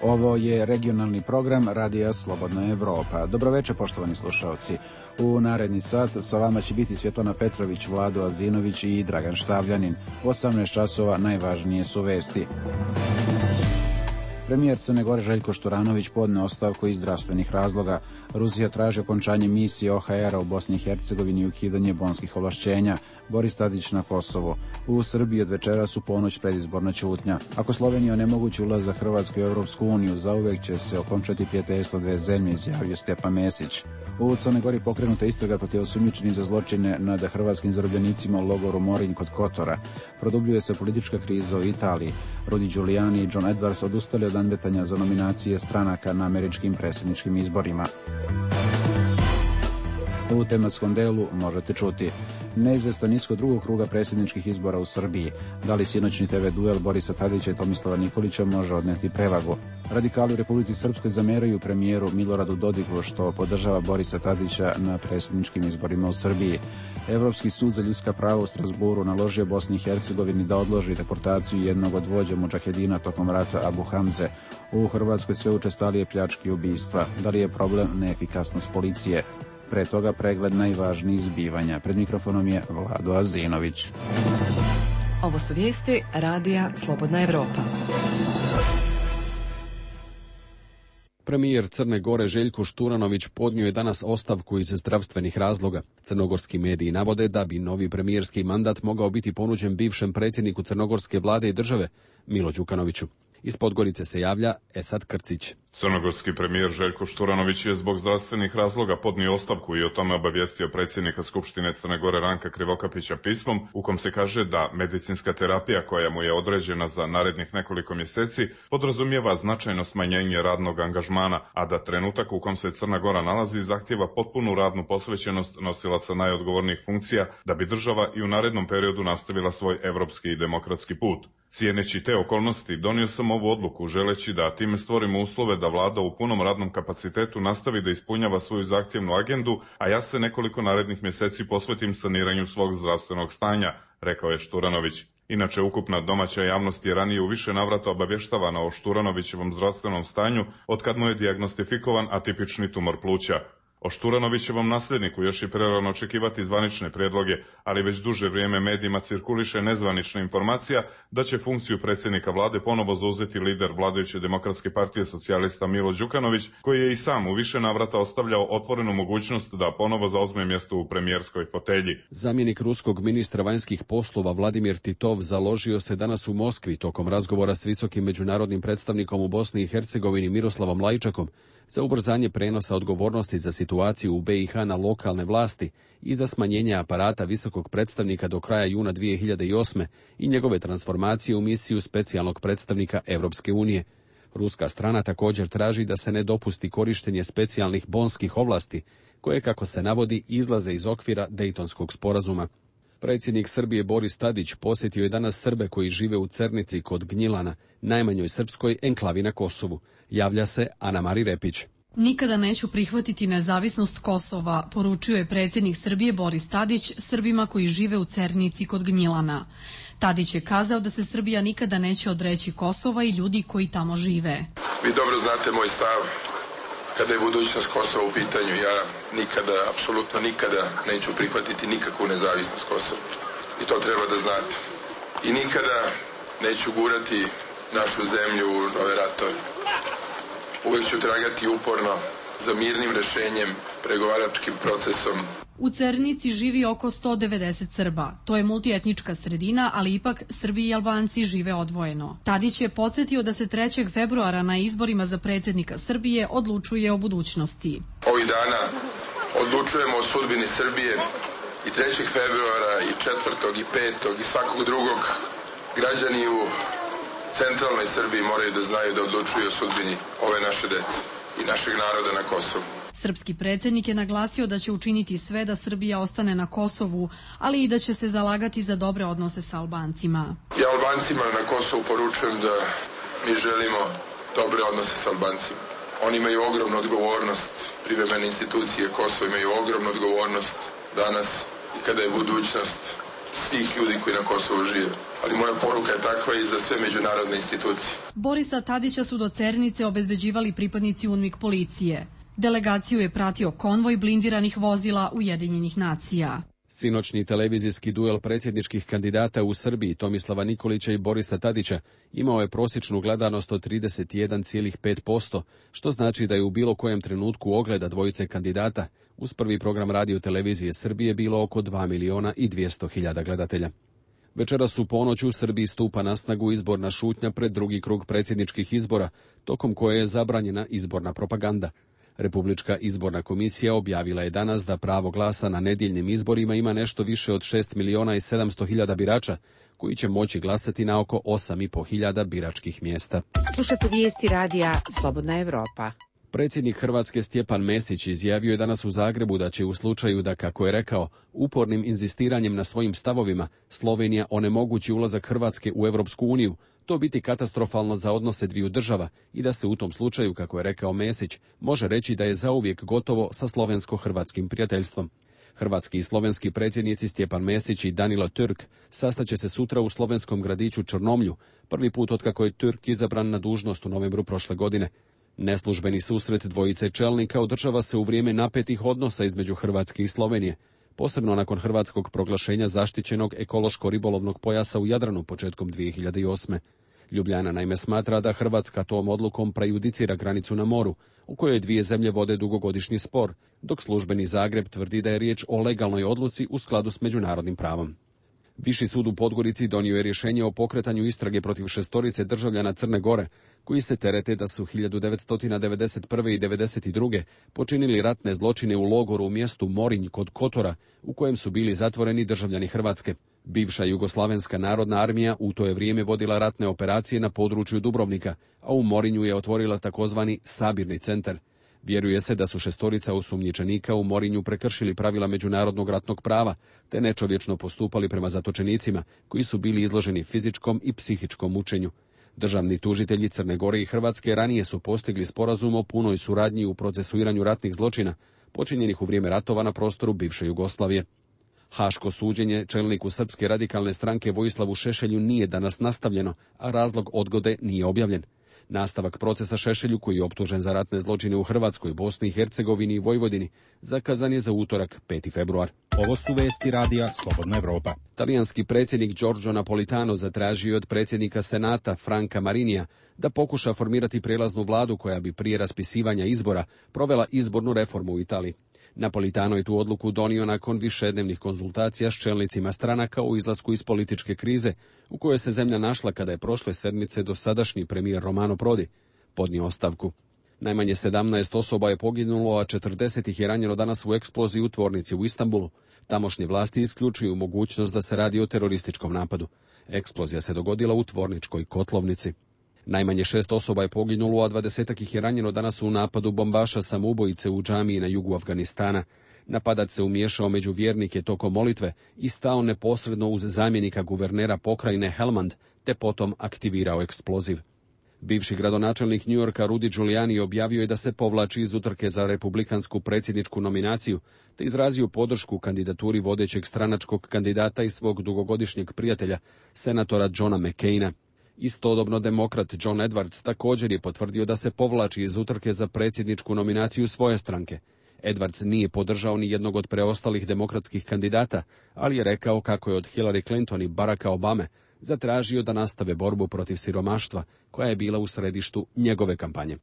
Ovo je regionalni program Radija Slobodna Evropa. Dobroveče, poštovani slušalci. U naredni sat sa vama će biti Svjetlana Petrović, Vlado Azinović i Dragan Štavljanin. 18 časova najvažnije su vesti. Premijer Crne Gore Željko Šturanović podneo ostavku iz zdravstvenih razloga. Rusija traži okončanje misije OHR-a u Bosni i Hercegovini i ukidanje bonskih ovlašćenja. Boris Tadić na Kosovo. U Srbiji od večeras u ponoć predizborna ćutnja. Ako Slovenija onemogući ulazak Hrvatske u Europsku uniju, zauvek će se okončati prijateljstvo dve zemlje, izjavio Stjepan Mesić. U Crnoj Gori pokrenuta istraga protiv osumnjičenih za zločine nad hrvatskim zarobljenicima u logoru Morinj kod Kotora. Produbljuje se politička kriza u Italiji. Rudy Giuliani i John Edwards odustali od nadmetanja za nominacije stranaka na američkim predsjedničkim izborima. U tematskom delu možete čuti: neizvestan ishod drugog kruga predsjedničkih izbora u Srbiji. Da li sinoćni TV duel Borisa Tadića i Tomislava Nikolića može odneti prevagu? Radikali u Republici Srpskoj zameraju premijeru Miloradu Dodiku što podržava Borisa Tadića na predsjedničkim izborima u Srbiji. Evropski sud za ljudska prava u Strasburu naložio Bosni i Hercegovini da odloži deportaciju jednog od vođa mudžahedina tokom rata Abu Hamze. U Hrvatskoj sve učestalije pljačke i ubistva. Da li je problem neefikasnost policije? Pre toga pregled najvažnijih zbivanja. Pred mikrofonom je Vlado Azinović. Ovo su vijesti Radija Slobodna Evropa. Premijer Crne Gore Željko Šturanović podnio je danas ostavku iz zdravstvenih razloga. Crnogorski mediji navode da bi novi premijerski mandat mogao biti ponuđen bivšem predsjedniku crnogorske vlade i države, Milo Đukanoviću. Iz Podgorice se javlja Esad Krcić. Crnogorski premijer Željko Šturanović je zbog zdravstvenih razloga podnio ostavku i o tome obavijestio predsjednika Skupštine Crne Gore Ranka Krivokapića pismom u kom se kaže da medicinska terapija koja mu je određena za narednih nekoliko mjeseci podrazumijeva značajno smanjenje radnog angažmana, a da trenutak u kom se Crna Gora nalazi zahtijeva potpunu radnu posvećenost nosilaca najodgovornijih funkcija da bi država i u narednom periodu nastavila svoj evropski i demokratski put. Cijeneći te okolnosti, donio sam ovu odluku želeći da time stvorimo uslove da vlada u punom radnom kapacitetu nastavi da ispunjava svoju zahtjevnu agendu, a ja se nekoliko narednih mjeseci posvetim saniranju svog zdravstvenog stanja, rekao je Šturanović. Inače, ukupna domaća javnost je ranije u više navrata obavještavana o Šturanovićevom zdravstvenom stanju otkad mu je dijagnostifikovan atipični tumor pluća. O Šturanovićevom nasljedniku još je prerano očekivati zvanične prijedloge, ali već duže vrijeme medijima cirkuliše nezvanična informacija da će funkciju predsjednika vlade ponovo zauzeti lider vladajuće Demokratske partije socijalista Milo Đukanović, koji je i sam u više navrata ostavljao otvorenu mogućnost da ponovo zauzme mjesto u premijerskoj fotelji. Zamjenik ruskog ministra vanjskih poslova Vladimir Titov založio se danas u Moskvi tokom razgovora s visokim međunarodnim predstavnikom u Bosni i Hercegovini Miroslavom Lajčakom za ubrzanje prenosa odgovornosti za situaciju u BiH na lokalne vlasti i za smanjenje aparata visokog predstavnika do kraja juna 2008. i njegove transformacije u misiju specijalnog predstavnika Europske unije. Ruska strana također traži da se ne dopusti korištenje specijalnih bonskih ovlasti, koje, kako se navodi, izlaze iz okvira Dejtonskog sporazuma. Predsjednik Srbije Boris Tadić posjetio je danas Srbe koji žive u Cernici kod Gnjilana, najmanjoj srpskoj enklavi na Kosovu. Javlja se Ana Mari Repić. Nikada neću prihvatiti nezavisnost Kosova, poručio je predsjednik Srbije Boris Tadić Srbima koji žive u Cernici kod Gnjilana. Tadić je kazao da se Srbija nikada neće odreći Kosova i ljudi koji tamo žive. Vi dobro znate moj stav kada je budućnost Kosova u pitanju. Ja nikada, apsolutno nikada neću prihvatiti nikakvu nezavisnost Kosova. I to treba da znate. I nikada neću gurati našu zemlju u nove ratove. Uvijek ću tragati uporno za mirnim rješenjem, pregovaračkim procesom. U Cernici živi oko 190 Srba. To je multietnička sredina, ali ipak Srbi i Albanci žive odvojeno. Tadić je podsjetio da se 3. februara na izborima za predsjednika Srbije odlučuje o budućnosti. Ovih dana odlučujemo o sudbini Srbije i 3. februara i 4. i 5. i svakog drugog. Građani u centralnoj Srbiji moraju da znaju da odlučuju o sudbini ove naše dece i našeg naroda na Kosovu. Srpski predsjednik je naglasio da će učiniti sve da Srbija ostane na Kosovu, ali i da će se zalagati za dobre odnose sa Albancima. Ja Albancima na Kosovu poručujem da mi želimo dobre odnose sa Albancima. Oni imaju ogromnu odgovornost, privremene institucije Kosova imaju ogromnu odgovornost danas i kada je budućnost svih ljudi koji na Kosovu žive. ali moja poruka je takva i za sve međunarodne institucije. Borisa Tadića su do Cernice obezbeđivali pripadnici UNMIK policije. Delegaciju je pratio konvoj blindiranih vozila Ujedinjenih nacija. Sinoćni televizijski duel predsjedničkih kandidata u Srbiji Tomislava Nikolića i Borisa Tadića imao je prosječnu gledanost od 31,5%, što znači da je u bilo kojem trenutku ogleda dvojice kandidata uz prvi program radio televizije Srbije bilo oko 2.200.000 gledatelja. Večeras u ponoć u Srbiji stupa na snagu izborna šutnja pred drugi krug predsjedničkih izbora, tokom koje je zabranjena izborna propaganda. Republička izborna komisija objavila je danas da pravo glasa na nedjeljnim izborima ima nešto više od 6.700.000 birača, koji će moći glasati na oko 8.500 biračkih mjesta. Slušate vijesti radija Slobodna Evropa. Predsjednik Hrvatske Stjepan Mesić izjavio je danas u Zagrebu da će u slučaju da, kako je rekao, upornim inzistiranjem na svojim stavovima Slovenija onemogući ulazak Hrvatske u Europsku uniju, to biti katastrofalno za odnose dviju država i da se u tom slučaju, kako je rekao Mesić, može reći da je zauvijek gotovo sa slovensko-hrvatskim prijateljstvom. Hrvatski i slovenski predsjednici Stjepan Mesić i Danilo Türk sastaće se sutra u slovenskom gradiću Črnomlju, prvi put otkako je Türk izabran na dužnost u novembru prošle godine. Neslužbeni susret dvojice čelnika održava se u vrijeme napetih odnosa između Hrvatske i Slovenije, posebno nakon hrvatskog proglašenja zaštićenog ekološko-ribolovnog pojasa u Jadranu početkom 2008. Ljubljana naime smatra da Hrvatska tom odlukom prejudicira granicu na moru, u kojoj dvije zemlje vode dugogodišnji spor, dok službeni Zagreb tvrdi da je riječ o legalnoj odluci u skladu s međunarodnim pravom. Viši sud u Podgorici donio je rješenje o pokretanju istrage protiv 6 državljana Crne Gore, koji se terete da su 1991. i 1992. počinili ratne zločine u logoru u mjestu Morinj kod Kotora, u kojem su bili zatvoreni državljani Hrvatske. Bivša Jugoslavenska narodna armija u to je vrijeme vodila ratne operacije na području Dubrovnika, a u Morinju je otvorila takozvani sabirni centar. Vjeruje se da su 6 osumnjičenika u Morinju prekršili pravila međunarodnog ratnog prava, te nečovječno postupali prema zatočenicima, koji su bili izloženi fizičkom i psihičkom mučenju. Državni tužitelji Crne Gore i Hrvatske ranije su postigli sporazum o punoj suradnji u procesuiranju ratnih zločina, počinjenih u vrijeme ratova na prostoru bivše Jugoslavije. Haško suđenje čelniku Srpske radikalne stranke Vojislavu Šešelju nije danas nastavljeno, a razlog odgode nije objavljen. Nastavak procesa Šešelju, koji je optužen za ratne zločine u Hrvatskoj, Bosni i Hercegovini i Vojvodini, zakazan je za utorak 5. februar. Ovo su vesti radija Slobodna Evropa. Talijanski predsjednik Giorgio Napolitano zatražio od predsjednika Senata Franca Marinija da pokuša formirati prijelaznu vladu koja bi prije raspisivanja izbora provela izbornu reformu u Italiji. Napolitano je tu odluku donio nakon višednevnih konzultacija s čelnicima stranaka o izlasku iz političke krize u kojoj se zemlja našla kada je prošle sedmice dosadašnji premijer Romano Prodi podnio ostavku. Najmanje 17 osoba je poginulo, a 40 ih je ranjeno danas u eksploziji u tvornici u Istanbulu. Tamošnje vlasti isključuju mogućnost da se radi o terorističkom napadu. Eksplozija se dogodila u tvorničkoj kotlovnici. Najmanje 6 osoba je poginulo, a 20 ih je ranjeno danas u napadu bombaša samoubojice u džamiji na jugu Afganistana. Napadač se umiješao među vjernike tokom molitve i stao neposredno uz zamjenika guvernera pokrajine Helmand, te potom aktivirao eksploziv. Bivši gradonačelnik New Yorka Rudy Giuliani objavio je da se povlači iz utrke za republikansku predsjedničku nominaciju, te izrazio podršku kandidaturi vodećeg stranačkog kandidata i svog dugogodišnjeg prijatelja, senatora Johna McCaina. Istodobno demokrat John Edwards također je potvrdio da se povlači iz utrke za predsjedničku nominaciju svoje stranke. Edwards nije podržao ni jednog od preostalih demokratskih kandidata, ali je rekao kako je od Hillary Clinton i Baracka Obame zatražio da nastave borbu protiv siromaštva, koja je bila u središtu njegove kampanje.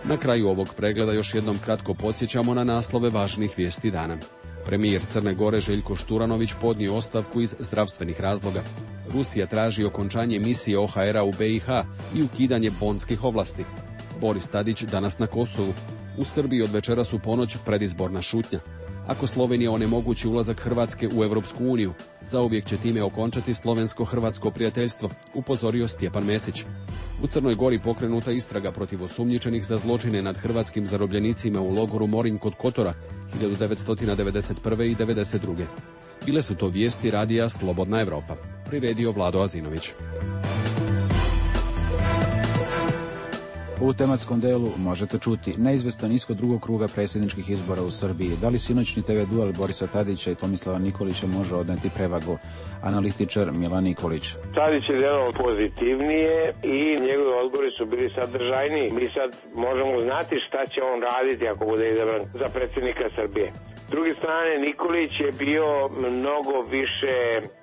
Na kraju ovog pregleda još jednom kratko podsjećamo na naslove važnih vijesti dana. Premijer Crne Gore Željko Šturanović podnio ostavku iz zdravstvenih razloga. Rusija traži okončanje misije OHR-a u BiH i ukidanje bonskih ovlasti. Boris Tadić danas na Kosovu. U Srbiji od večeras u ponoć predizborna šutnja. Ako Slovenija onemogući ulazak Hrvatske u Europsku uniju, zauvijek će time okončati slovensko-hrvatsko prijateljstvo, upozorio Stjepan Mesić. U Crnoj Gori pokrenuta istraga protiv osumnjičenih za zločine nad hrvatskim zarobljenicima u logoru Morinj kod Kotora 1991. i 1992. Bile su to vijesti radija Slobodna Evropa. Priredio Vlado Azinović. U tematskom delu možete čuti neizvestan ishod drugog kruga predsjedničkih izbora u Srbiji. Da li sinoćni TV duel Borisa Tadića i Tomislava Nikolića može odneti prevagu? Analitičar Milan Nikolić. Tadić je djelovao pozitivnije i njegovi odgovori su bili sadržajniji. Mi sad možemo znati šta će on raditi ako bude izabran za predsjednika Srbije. S druge strane, Nikolić je bio mnogo više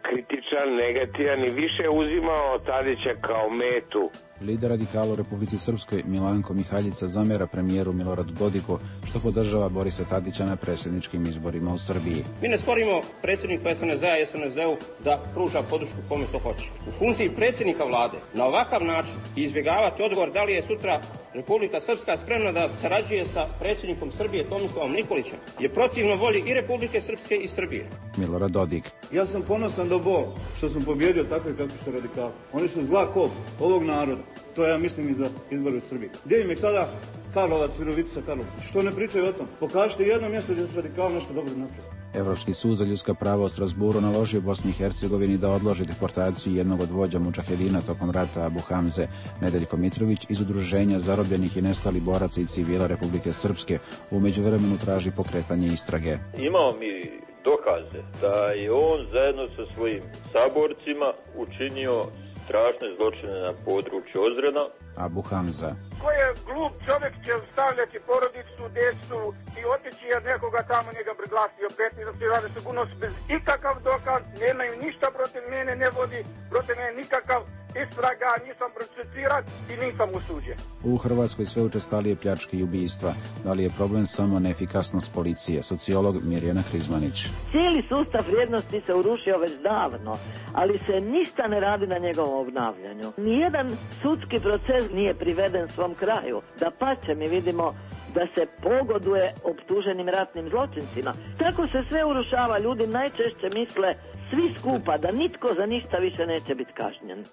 kritičan, negativan i više uzimao Tadića kao metu. Lider radikala u Republici Srpskoj Milanko Mihaljica zamjera premijeru Miloradu Dodiku što podržava Borisa Tadića na predsjedničkim izborima u Srbiji. Mi ne sporimo predsjedniku SNSD-a i SNSD-u da pruža podršku kome to hoće. U funkciji predsjednika vlade na ovakav način izbjegavati odgovor da li je sutra Republika Srpska spremna da sarađuje sa predsjednikom Srbije Tomislavom Nikolićem je protivno volji i Republike Srpske i Srbije. Milorad Dodik. Ja sam ponosan do bol što sam pobjedio takve kakvi su radikali. Oni su zla kop ovog naroda. To ja mislim i za izbore u Srbiji. Gdje im je sada Karlovac, Virovitica, Karlovac? Što ne pričaju o tom? Pokažite jedno mjesto gdje su radikali nešto dobro napravili. Evropski sud za ljudska prava u Strasburu naložio Bosni i Hercegovini da odloži deportaciju jednog od vođa mudžahedina tokom rata Abu Hamze. Nedeljko Mitrović iz udruženja zarobljenih i nestalih boraca i civila Republike Srpske u međuvremenu traži pokretanje istrage. Imamo mi dokaze da je on zajedno sa svojim saborcima učinio strašne zločine na području Ozrena. Abu Hamza. Ko je glup čovjek će stavljati porodicu, djecu i otići jer nekoga tamo njega priglasio 15 rade sigurnost bez ikakav dokaz, nemaju ništa protiv mene, ne vodi protiv mene nikakav istraga, nisam procesuiran i nisam osuđen. U Hrvatskoj sve učestalije pljačke i ubistva. Da li je problem samo neefikasnost policije? Sociolog Mirjana Hrizmanić. Cijeli sustav vrijednosti se urušio već davno, ali se ništa ne radi na njegovom obnavljanju. Nijedan sudski proces nije priveden svom kraju. Dapače, mi vidimo da se pogoduje optuženim ratnim zločincima. Tako se sve urušava. Ljudi najčešće misle svi skupa da nitko za ništa više neće biti kažnjen.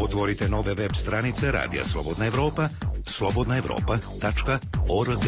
Otvorite nove web stranice Radija Slobodna Evropa, slobodnaevropa.org.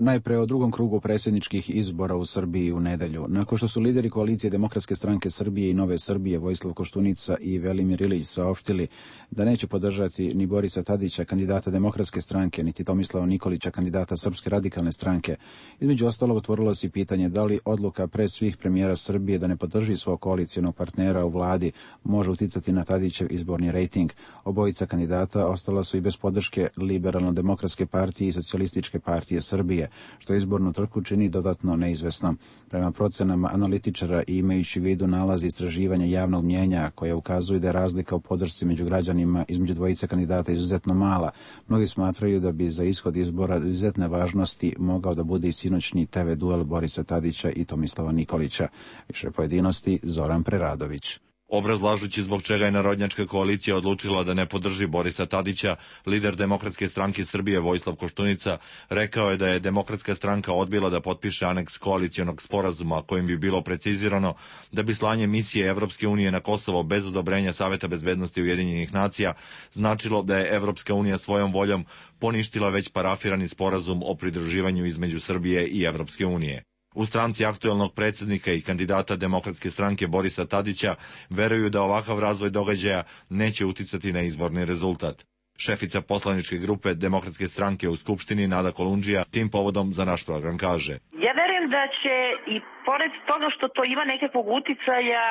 Najpre o drugom krugu predsjedničkih izbora u Srbiji u nedelju. Nakon što su lideri koalicije Demokratske stranke Srbije i Nove Srbije Vojislav Koštunica i Velimir Ilić saopštili da neće podržati ni Borisa Tadića, kandidata Demokratske stranke, niti Tomislava Nikolića, kandidata Srpske radikalne stranke, između ostalog otvorilo se pitanje da li odluka pre svih premijera Srbije da ne podrži svog koalicionog partnera u vladi može uticati na Tadićev izborni rejting. Obojica kandidata ostala su i bez podrške Liberalno-demokratske partije i Socijalističke partije Srbije, što izbornu trku čini dodatno neizvesno. Prema procenama analitičara i imajući u vidu nalazi istraživanja javnog mnjenja koje ukazuju da je razlika u podršci među građanima između dvojice kandidata izuzetno mala, mnogi smatraju da bi za ishod izbora izuzetne važnosti mogao da bude i sinoćni TV duel Borisa Tadića i Tomislava Nikolića. Više pojedinosti Zoran Preradović. Obrazlažući zbog čega je Narodnjačka koalicija odlučila da ne podrži Borisa Tadića, lider Demokratske stranke Srbije Vojislav Koštunica rekao je da je Demokratska stranka odbila da potpiše aneks koalicionog sporazuma kojim bi bilo precizirano da bi slanje misije Evropske unije na Kosovo bez odobrenja Saveta bezbednosti Ujedinjenih nacija značilo da je Evropska unija svojom voljom poništila već parafirani sporazum o pridruživanju između Srbije i Evropske unije. U stranci aktuelnog predsjednika i kandidata Demokratske stranke Borisa Tadića veruju da ovakav razvoj događaja neće uticati na izborni rezultat. Šefica poslaničke grupe Demokratske stranke u Skupštini Nada Kolundžija tim povodom za naš program kaže: Ja verujem da će i pored toga što to ima nekakvog uticaja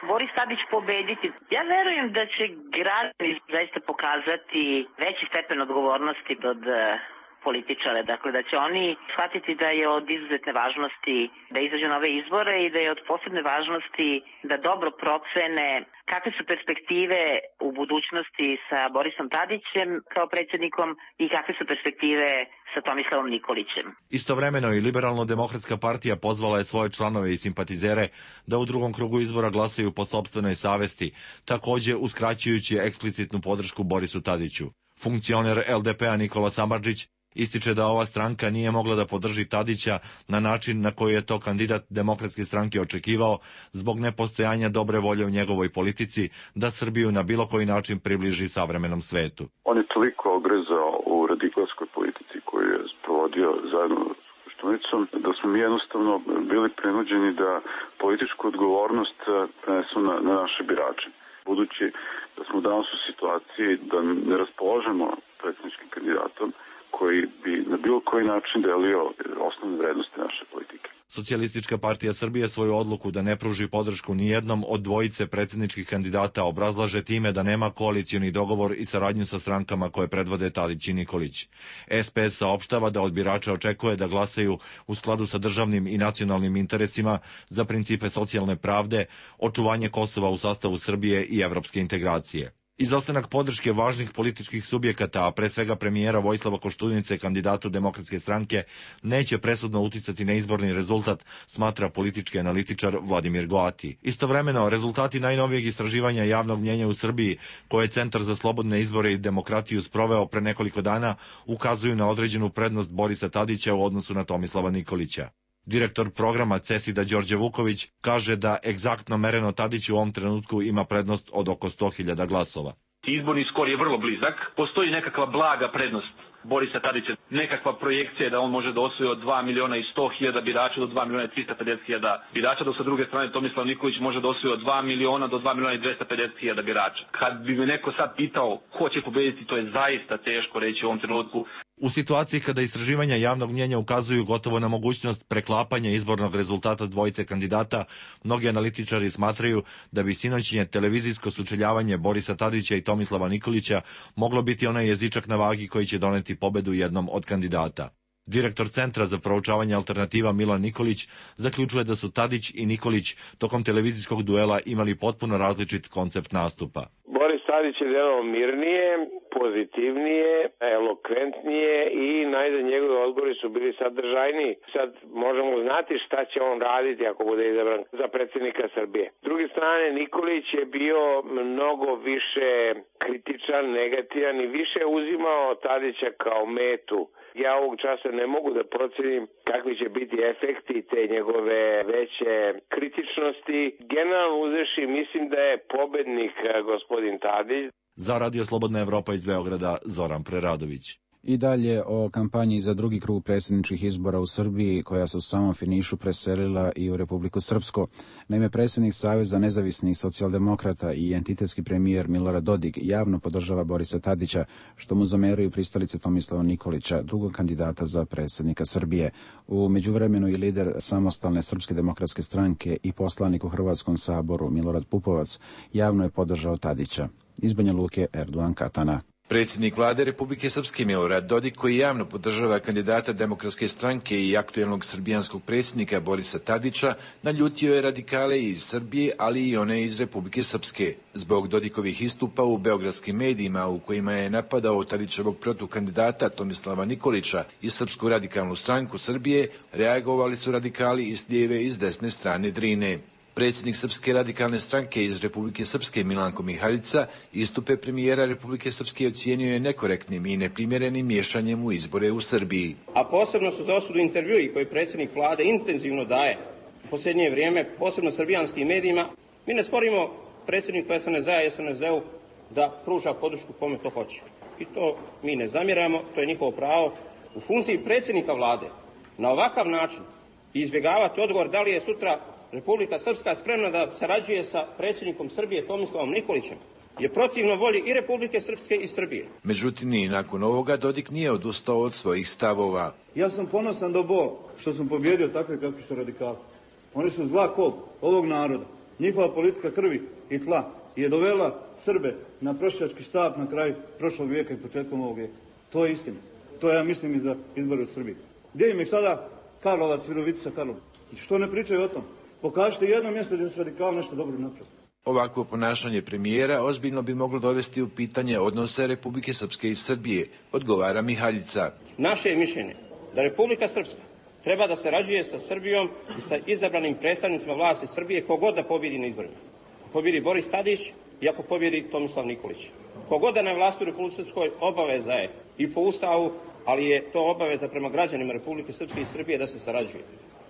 Boris Tadić pobediti. Ja verujem da će građani zaista pokazati veći stepen odgovornosti od političare, dakle da će oni shvatiti da je od izuzetne važnosti da izađu na ove izbore i da je od posebne važnosti da dobro procene kakve su perspektive u budućnosti sa Borisom Tadićem kao predsjednikom i kakve su perspektive sa Tomislavom Nikolićem. Istovremeno i Liberalno-demokratska partija pozvala je svoje članove i simpatizere da u drugom krugu izbora glasaju po sopstvenoj savesti, također uskraćujući eksplicitnu podršku Borisu Tadiću. Funkcioner LDP-a Nikola Samardžić ističe da ova stranka nije mogla da podrži Tadića na način na koji je to kandidat Demokratske stranke očekivao zbog nepostojanja dobre volje u njegovoj politici da Srbiju na bilo koji način približi savremenom svetu. On je toliko ogrezao u radikalskoj politici koju je sprovodio zajedno s Koštunicom da smo mi jednostavno bili prinuđeni da političku odgovornost prenesu na naše birače. budući da smo danas u situaciji da ne raspolažemo predsjedničkim kandidatom koji bi na bilo koji način delio osnovne vrednosti naše politike. Socijalistička partija Srbije svoju odluku da ne pruži podršku nijednom od dvojice predsjedničkih kandidata obrazlaže time da nema koalicioni dogovor i saradnju sa strankama koje predvode Tadić i Nikolić. SPS saopštava da od birača očekuje da glasaju u skladu sa državnim i nacionalnim interesima za principe socijalne pravde, očuvanje Kosova u sastavu Srbije i evropske integracije. Izostanak podrške važnih političkih subjekata, a pre svega premijera Vojislava Koštunice, kandidatu Demokratske stranke, neće presudno uticati na izborni rezultat, smatra politički analitičar Vladimir Goati. Istovremeno, rezultati najnovijeg istraživanja javnog mnjenja u Srbiji, koje je Centar za slobodne izbore i demokratiju sproveo pre nekoliko dana, ukazuju na određenu prednost Borisa Tadića u odnosu na Tomislava Nikolića. Direktor programa CESID-a Đorđe Vuković kaže da egzaktno mereno Tadić u ovom trenutku ima prednost od oko 100.000 glasova. Izborni skor je vrlo blizak, postoji nekakva blaga prednost Borisa Tadića, nekakva projekcija da on može da osvoji od 2.100.000 birača do 2.350.000 birača, dok sa druge strane Tomislav Nikolić može da osvoji od 2 miliona do 2.250.000 birača. Kad bi me neko sad pitao ko će pobediti, to je zaista teško reći u ovom trenutku. U situaciji kada istraživanja javnog mnjenja ukazuju gotovo na mogućnost preklapanja izbornog rezultata dvojice kandidata, mnogi analitičari smatraju da bi sinoćnje televizijsko sučeljavanje Borisa Tadića i Tomislava Nikolića moglo biti onaj jezičak na vagi koji će doneti pobedu jednom od kandidata. Direktor Centra za proučavanje alternativa Milan Nikolić zaključuje da su Tadić i Nikolić tokom televizijskog duela imali potpuno različit koncept nastupa. Boris Tadić je delovao mirnije, pozitivnije, elokventnije i najzad njegovi odgovori su bili sadržajniji. Sad možemo znati šta će on raditi ako bude izabran za predsjednika Srbije. S druge strane, Nikolić je bio mnogo više kritičan, negativan i više uzimao Tadića kao metu. Ja ovog časa ne mogu da procenim kakvi će biti efekti te njegove veće kritičnosti. Generalno uzevši, mislim da je pobednik gospodin Tadić. Za Radio Slobodna Evropa iz Beograda, Zoran Preradović. I dalje o kampanji za drugi krug predsjedničkih izbora u Srbiji, koja se u samom finišu preselila i u Republiku Srpsku. Naime, predsjednik Saveza nezavisnih socijaldemokrata i entitetski premijer Milorad Dodik javno podržava Borisa Tadića, što mu zameraju pristalice Tomislava Nikolića, drugog kandidata za predsjednika Srbije. U međuvremenu i lider samostalne Srpske demokratske stranke i poslanik u Hrvatskom saboru Milorad Pupovac javno je podržao Tadića. Iz Banja Luke, Erdogan Katana. Predsjednik vlade Republike Srpske Milorad Dodik, koji javno podržava kandidata Demokratske stranke i aktuelnog srbijanskog predsjednika Borisa Tadića, naljutio je radikale iz Srbije, ali i one iz Republike Srpske. Zbog Dodikovih istupa u beogradskim medijima u kojima je napadao Tadićevog protukandidata Tomislava Nikolića i Srpsku radikalnu stranku Srbije, reagovali su radikali iz lijeve i iz desne strane Drine. Predsjednik Srpske radikalne stranke iz Republike Srpske Milanko Mihaljica istupe premijera Republike Srpske ocijenio je nekorektnim i neprimjerenim miješanjem u izbore u Srbiji. A posebno su za osudu intervjui koji predsjednik vlade intenzivno daje u posljednje vrijeme, posebno srbijanskim medijima. Mi ne sporimo predsjedniku SNSD-a i SNSD-u da pruža podršku kome to hoće. I to mi ne zamjeramo, to je njihovo pravo. U funkciji predsjednika vlade na ovakav način izbjegavati odgovor da li je sutra Republika Srpska spremna da sarađuje sa predsjednikom Srbije Tomislavom Nikolićem je protivno volji i Republike Srpske i Srbije. Međutim, i nakon ovoga Dodik nije odustao od svojih stavova. Ja sam ponosan do Boga što sam pobjedio takve kakvi su radikali. Oni su zla kop ovog naroda. Njihova politika krvi i tla je dovela Srbe na prosjački štap na kraju prošlog vijeka i početkom ovog vijeka. To je istina. To ja mislim i za izbore u Srbiji. Gdje im je sada Karlovac, Virovitica, Karlovac? Što ne pričaju o tom? Pokažite jedno mjesto gdje su radikali nešto dobro napravili. Ovakvo ponašanje premijera ozbiljno bi moglo dovesti u pitanje odnose Republike Srpske i Srbije, odgovara Mihaljica. Naše je mišljenje da Republika Srpska treba da sarađuje sa Srbijom i sa izabranim predstavnicima vlasti Srbije kogod da pobjedi na izborima. Ako pobjedi Boris Tadić i ako pobjedi Tomislav Nikolić. Kogod da na vlasti u Republike Srpskoj obaveza je i po Ustavu, ali je to obaveza prema građanima Republike Srpske i Srbije da se sarađuje.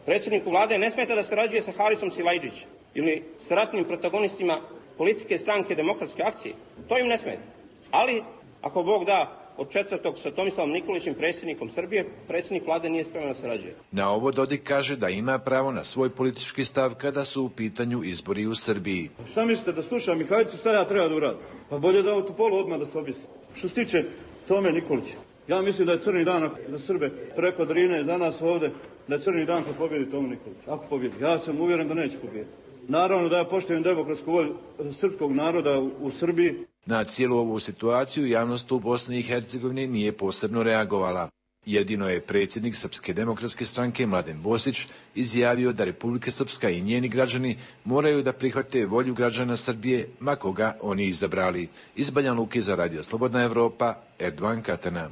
Predsjedniku vlade ne smeta da sarađuje sa Harisom Silajđićem ili sa ratnim protagonistima politike stranke Demokratske akcije. To im ne smeta. Ali, ako Bog da, od 4. sa Tomislavom Nikolićem, predsjednikom Srbije, predsjednik vlade nije spreman da sarađuje. Na ovo Dodik kaže da ima pravo na svoj politički stav kada su u pitanju izbori u Srbiji. Šta mislite, da slušam Mihajlicu, šta ja treba da uradim? Pa bolje da u Topolu odmah da se objesi. Što se tiče Tome Nikolića, ja mislim da je crni dan za Srbe preko Drine, za nas ovde, da je crni dan kad pobjedi Tomu Nikolić. Ako pobjedi, ja sam uvjeren da neće pobjediti. Naravno da ja poštujem demokratsku volju srpskog naroda u Srbiji. Na cijelu ovu situaciju javnost u Bosni i Hercegovini nije posebno reagovala. Jedino je predsjednik Srpske demokratske stranke Mladen Bosić izjavio da Republika Srpska i njeni građani moraju da prihvate volju građana Srbije, ma koga oni izabrali. Iz Banja Luke za Radio Slobodna Evropa, Erdogan Katana.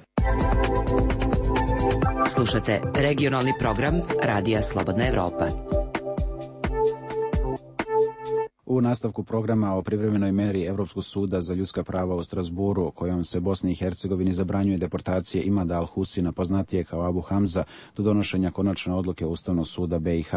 Slušate regionalni program Radija Slobodna Evropa. U nastavku programa o privremenoj meri Evropskog suda za ljudska prava u Strasburu, kojom se Bosni i Hercegovini zabranjuje deportacije Imada Al-Husina, poznatije kao Abu Hamza, do donošenja konačne odluke Ustavnog suda BiH.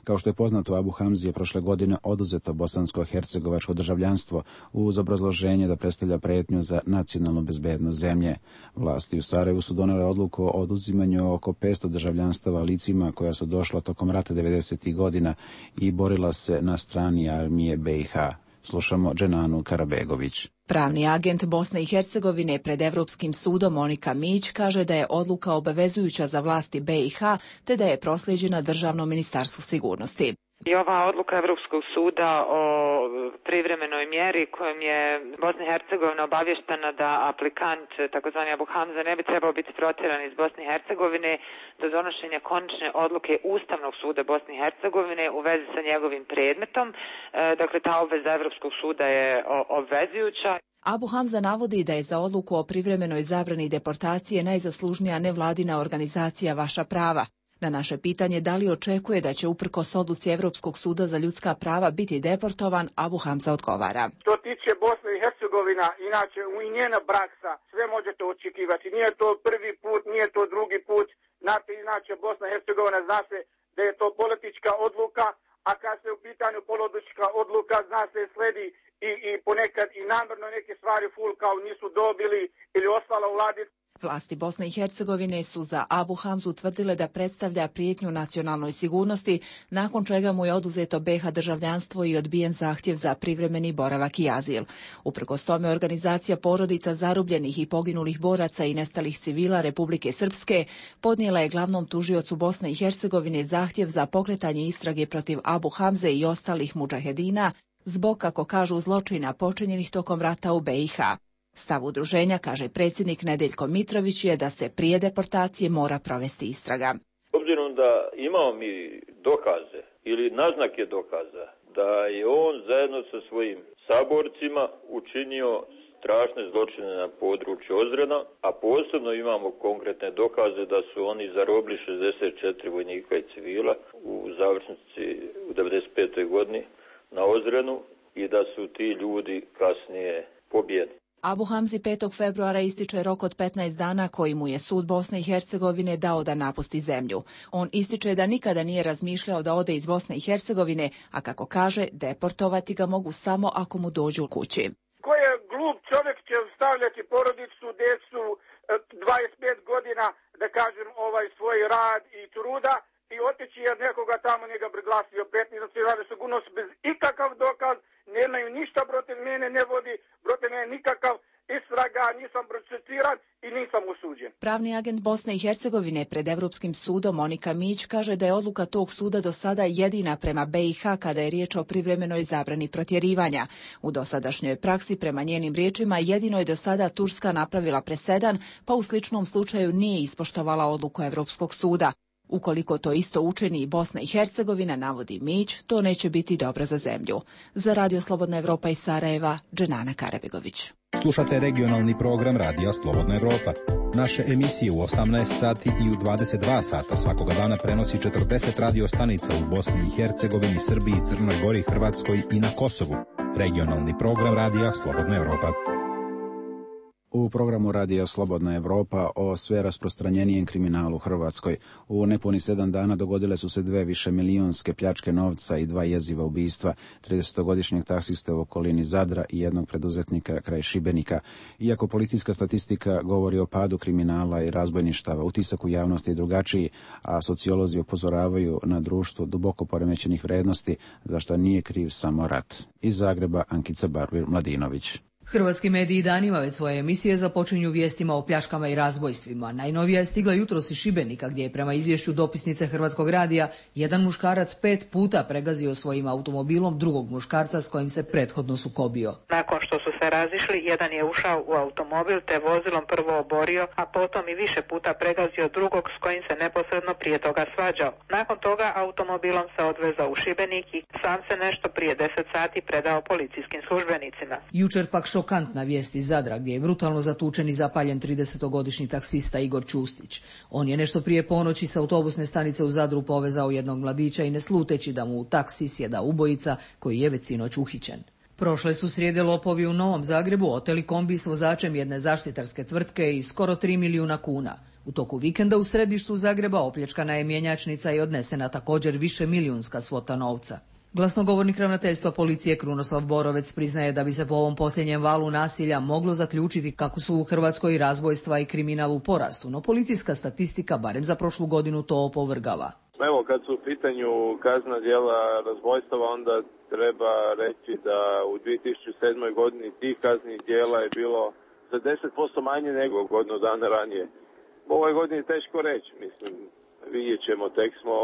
Kao što je poznato, Abu Hamzi je prošle godine oduzeto bosansko-hercegovačko državljanstvo uz obrazloženje da predstavlja pretnju za nacionalnu bezbednost zemlje. Vlasti u Sarajevu su donele odluku o oduzimanju oko 500 državljanstava licima koja su došla tokom rata 90. godina i borila se na strani armije BiH. Slušamo Dženanu Karabegović. Pravni agent Bosne i Hercegovine pred Evropskim sudom Monika Mić kaže da je odluka obavezujuća za vlasti BiH te da je proslijeđena Državnom ministarstvu sigurnosti. I ova odluka Evropskog suda o privremenoj mjeri kojom je Bosna i Hercegovina obavještena da aplikant, takozvani Abu Hamza, ne bi trebao biti protjeran iz Bosne i Hercegovine do donošenja konačne odluke Ustavnog suda Bosne i Hercegovine u vezi sa njegovim predmetom. Dakle, ta obveza Evropskog suda je obvezujuća. Abu Hamza navodi da je za odluku o privremenoj zabrani deportacije najzaslužnija nevladina organizacija Vaša prava. Na naše pitanje da li očekuje da će uprkos odluci Evropskog suda za ljudska prava biti deportovan, Abu Hamza odgovara. Što tiče Bosne i Hercegovina, inače i njena praksa, sve možete očekivati. Nije to prvi put, nije to drugi put. Znate, inače Bosna i Hercegovina zna se da je to politička odluka, a kad se u pitanju politička odluka, zna se sledi i ponekad i namjerno neke stvari kao nisu dobili ili ostala u vladi. Vlasti Bosne i Hercegovine su za Abu Hamzu tvrdile da predstavlja prijetnju nacionalnoj sigurnosti, nakon čega mu je oduzeto BiH državljanstvo i odbijen zahtjev za privremeni boravak i azil. Uprkos tome, organizacija porodica zarubljenih i poginulih boraca i nestalih civila Republike Srpske podnijela je glavnom tužiocu Bosne i Hercegovine zahtjev za pokretanje istrage protiv Abu Hamze i ostalih mudžahedina zbog, kako kažu, zločina počinjenih tokom rata u BiH. Stav udruženja, kaže predsjednik Nedeljko Mitrović, je da se prije deportacije mora provesti istraga. Obzirom da imamo mi dokaze ili naznake dokaza da je on zajedno sa svojim saborcima učinio strašne zločine na području Ozrena, a posebno imamo konkretne dokaze da su oni zarobili 64 vojnika i civila u završnici u 95. godini na Ozrenu i da su ti ljudi kasnije pobijeni. Abu Hamzi 5. februara ističe rok od 15 dana koji mu je sud Bosne i Hercegovine dao da napusti zemlju. On ističe da nikada nije razmišljao da ode iz Bosne i Hercegovine, a kako kaže, deportovati ga mogu samo ako mu dođu kući. Ko je glup čovjek će stavljati porodicu, djecu, 25 godina, da kažem, svoj rad i truda i otići jer nekoga tamo njega priglasio 15, znači rade sigurnost bez ikakav dokaz, nemaju ništa protiv mene, ne vodi protiv mene nikakav istraga, nisam procesuiran i nisam osuđen. Pravni agent Bosne i Hercegovine pred Evropskim sudom Monika Mić kaže da je odluka tog suda do sada jedina prema BiH kada je riječ o privremenoj zabrani protjerivanja. U dosadašnjoj praksi, prema njenim riječima, jedino je do sada Turska napravila presedan, pa u sličnom slučaju nije ispoštovala odluku Evropskog suda. Ukoliko to isto učini i Bosna i Hercegovina, navodi Mić, to neće biti dobro za zemlju. Za Radio Slobodna Evropa iz Sarajeva, Dženana Karabegović. Slušate regionalni program Radija Slobodna Evropa. Naše emisije u 18 sati i u 22 sata svakoga dana prenosi 40 radio stanica u Bosni i Hercegovini, Srbiji, Crnoj Gori, Hrvatskoj i na Kosovu. Regionalni program Radija Slobodna Evropa. U programu Radija Slobodna Evropa o sve rasprostranjenijem kriminalu u Hrvatskoj. U nepuni 7 dana dogodile su se 2 višemilijonske pljačke novca i 2 jeziva ubistva, 30-godišnjeg taksiste u okolini Zadra i jednog preduzetnika kraj Šibenika. Iako policijska statistika govori o padu kriminala i razbojništava, utisak u javnosti je drugačiji, a sociolozi upozoravaju na društvo duboko poremećenih vrednosti, za što nije kriv samo rat. Iz Zagreba Ankica Barbir-Mladinović. Hrvatski mediji danima već svoje emisije započinju vijestima o pljačkama i razbojstvima. Najnovija je stigla jutros iz Šibenika, gdje je prema izvješću dopisnice Hrvatskog radija jedan muškarac 5 puta pregazio svojim automobilom drugog muškarca s kojim se prethodno sukobio. Nakon što su se razišli, jedan je ušao u automobil te vozilom prvo oborio, a potom i više puta pregazio drugog s kojim se neposredno prije toga svađao. Nakon toga automobilom se odvezao u Šibenik i sam se nešto prije 10 sati predao policijskim službenicima. Jučer pak šokantna vijest iz Zadra, gdje je brutalno zatučen i zapaljen 30-godišnji taksista Igor Čustić. On je nešto prije ponoći s autobusne stanice u Zadru povezao jednog mladića i ne sluteći da mu u taksi sjeda ubojica koji je već sinoć uhićen. Prošle su srijede lopovi u Novom Zagrebu oteli kombi s vozačem jedne zaštitarske tvrtke i skoro 3 milijuna kuna. U toku vikenda u središtu Zagreba opljačkana je mjenjačnica i odnesena također višemilijunska svota novca. Glasnogovornik ravnateljstva policije Krunoslav Borovec priznaje da bi se po ovom posljednjem valu nasilja moglo zaključiti kako su u Hrvatskoj razbojstva i kriminal u porastu, no policijska statistika barem za prošlu godinu to opovrgava. Evo, kad su u pitanju kaznena djela razbojstava, onda treba reći da u 2007. godini tih kaznenih djela je bilo za 10% manje nego godinu dana ranije. U ovoj godini je teško reći, mislim, vidjet ćemo, tek smo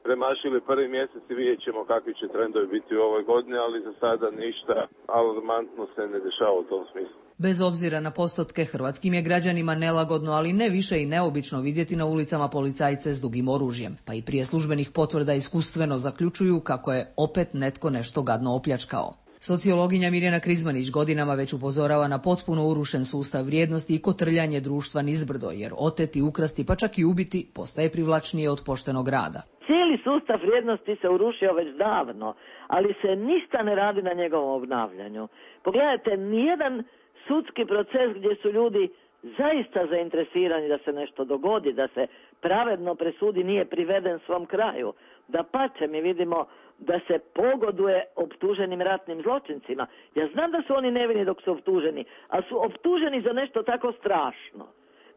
premašili prvi mjesec i vidjet ćemo kakvi će trendovi biti u ovoj godini, ali za sada ništa alarmantno se ne dešava u tom smislu. Bez obzira na postotke, hrvatskim je građanima nelagodno, ali ne više i neobično vidjeti na ulicama policajce s dugim oružjem, pa i prije službenih potvrda iskustveno zaključuju kako je opet netko nešto gadno opljačkao. Sociologinja Mirjana Krizmanić godinama već upozorava na potpuno urušen sustav vrijednosti i kotrljanje društva nizbrdo, jer oteti, ukrasti pa čak i ubiti postaje privlačnije od poštenog rada. Cijeli sustav vrijednosti se urušio već davno, ali se ništa ne radi na njegovom obnavljanju. Pogledajte, nijedan sudski proces gdje su ljudi zaista zainteresirani da se nešto dogodi, da se pravedno presudi, nije priveden svom kraju. Dapače, mi vidimo da se pogoduje optuženim ratnim zločincima. Ja znam da su oni nevini dok su optuženi, ali su optuženi za nešto tako strašno,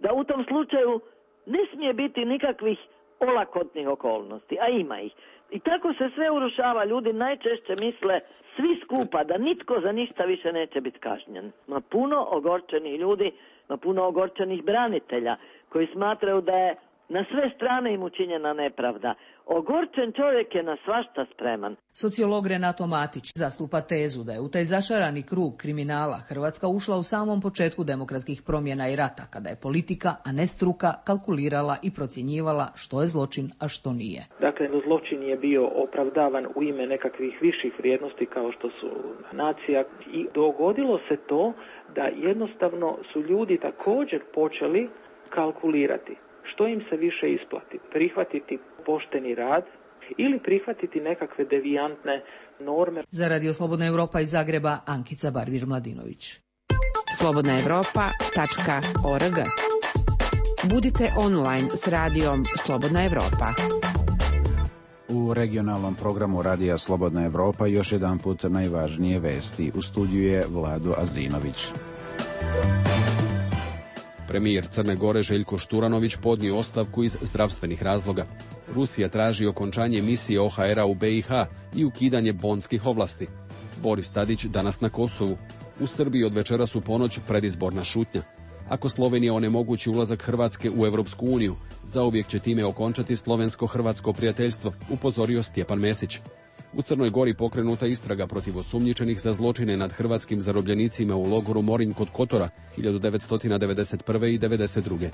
da u tom slučaju ne smije biti nikakvih olakotnih okolnosti, a ima ih. I tako se sve urušava. Ljudi najčešće misle svi skupa da nitko za ništa više neće biti kažnjen. Ma puno ogorčenih ljudi, ma puno ogorčenih branitelja koji smatraju da je na sve strane im učinjena nepravda. Ogorčen čovjek je na svašta spreman. Sociolog Renato Matić zastupa tezu da je u taj začarani krug kriminala Hrvatska ušla u samom početku demokratskih promjena i rata, kada je politika, a ne struka, kalkulirala i procjenjivala što je zločin, a što nije. Dakle, zločin je bio opravdavan u ime nekakvih viših vrijednosti kao što su nacija i dogodilo se to da jednostavno su ljudi također počeli kalkulirati što im se više isplati, prihvatiti pošteni rad ili prihvatiti nekakve devijantne norme. Za Radio Slobodna Evropa iz Zagreba, Ankica Barbir-Mladinović. slobodnaevropa.org. Budite online s radijom Slobodna Evropa. U regionalnom programu Radija Slobodna Evropa još jedan put najvažnije vesti. U studiju je Vlado Azinović. Premijer Crne Gore Željko Šturanović podnio ostavku iz zdravstvenih razloga. Rusija traži okončanje misije OHR-a u BiH i ukidanje bonskih ovlasti. Boris Tadić danas na Kosovu. U Srbiji od večeras u ponoć predizborna šutnja. Ako Slovenija onemogući ulazak Hrvatske u Europsku uniju, zauvijek će time okončati slovensko-hrvatsko prijateljstvo, upozorio Stjepan Mesić. U Crnoj Gori pokrenuta istraga protiv osumnjičenih za zločine nad hrvatskim zarobljenicima u logoru Morinj kod Kotora 1991. i 1992.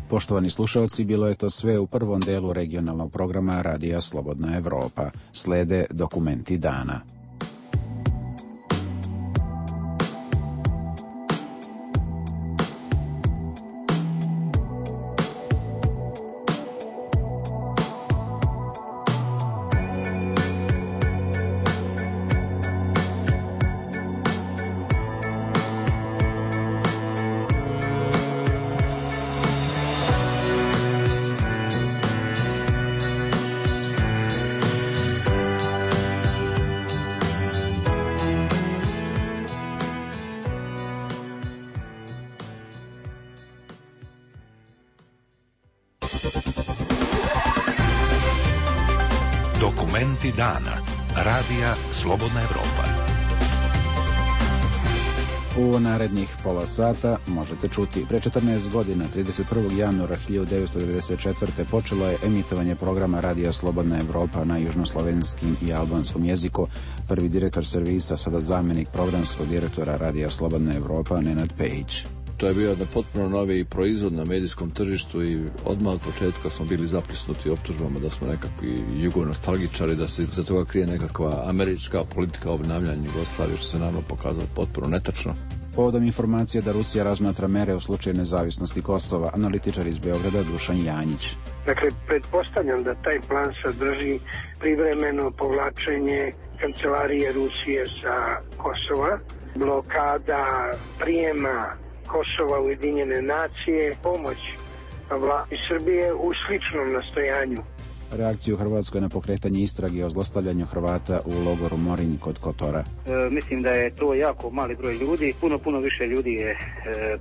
Poštovani slušalci, bilo je to sve u prvom delu regionalnog programa Radija Slobodna Evropa. Slede dokumenti dana. Dokumenti dana. Radija Slobodna Evropa. U narednih pola sata možete čuti. Pre 14 godina, 31. januara 1994. počelo je emitovanje programa Radija Slobodna Evropa na južnoslovenskim i albanskom jeziku. Prvi direktor servisa, sada zamjenik programskog direktora Radija Slobodna Evropa, Nenad Pejić. To je bio jedan potpuno novi proizvod na medijskom tržištu i odmah od početka smo bili zaplisnuti optužbama da smo nekakvi jugonostalgičari, da se za toga krije nekakva američka politika obnavljanja Jugoslavije, što se naravno pokazalo potpuno netačno. Povodom informacije da Rusija razmatra mere u slučaju nezavisnosti Kosova, analitičar iz Beograda Dušan Janjić. Dakle, pretpostavljam da taj plan sadrži privremeno povlačenje kancelarije Rusije sa Kosova, blokada prijema Kosova u Ujedinjene nacije, pomoć vladi Srbije u sličnom nastojanju. Reakciju Hrvatskoj na pokretanje istrage o zlostavljanju Hrvata u logoru Morinj kod Kotora. Mislim da je to jako mali broj ljudi. Puno više ljudi je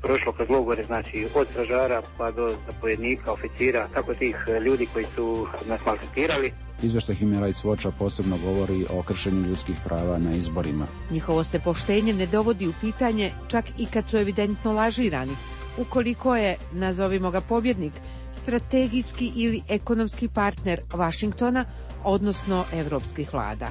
prošlo kroz logore, znači od stražara pa do zapovjednika, oficira, tako tih ljudi koji su nas maltretirali. Izveštaj Human Rights Watcha posebno govori o kršenju ljudskih prava na izborima. Njihovo se poštenje ne dovodi u pitanje čak i kad su evidentno lažirani. Ukoliko je, nazovimo ga pobjednik, strategijski ili ekonomski partner Vašingtona, odnosno evropskih vlada.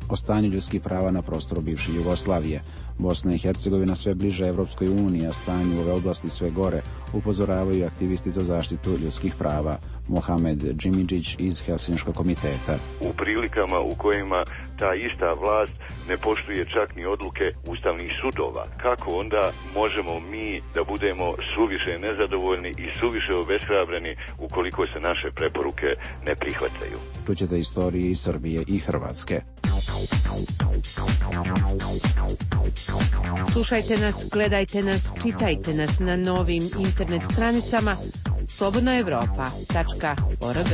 O stanju ljudskih prava na prostoru bivše Jugoslavije. Bosna i Hercegovina sve bliže Evropskoj uniji, a stanju u ove oblasti sve gore, upozoravaju aktivisti za zaštitu ljudskih prava. Mohamed Džimidžić iz Helsinškog komiteta. U prilikama u kojima ta ista vlast ne poštuje čak ni odluke ustavnih sudova, kako onda možemo mi da budemo suviše nezadovoljni i suviše obeshrabreni ukoliko se naše preporuke ne prihvataju? Čućete istorije iz Srbije i Hrvatske. Slušajte nas, gledajte nas, čitajte nas na novim internet stranicama slobodnoevropa.org.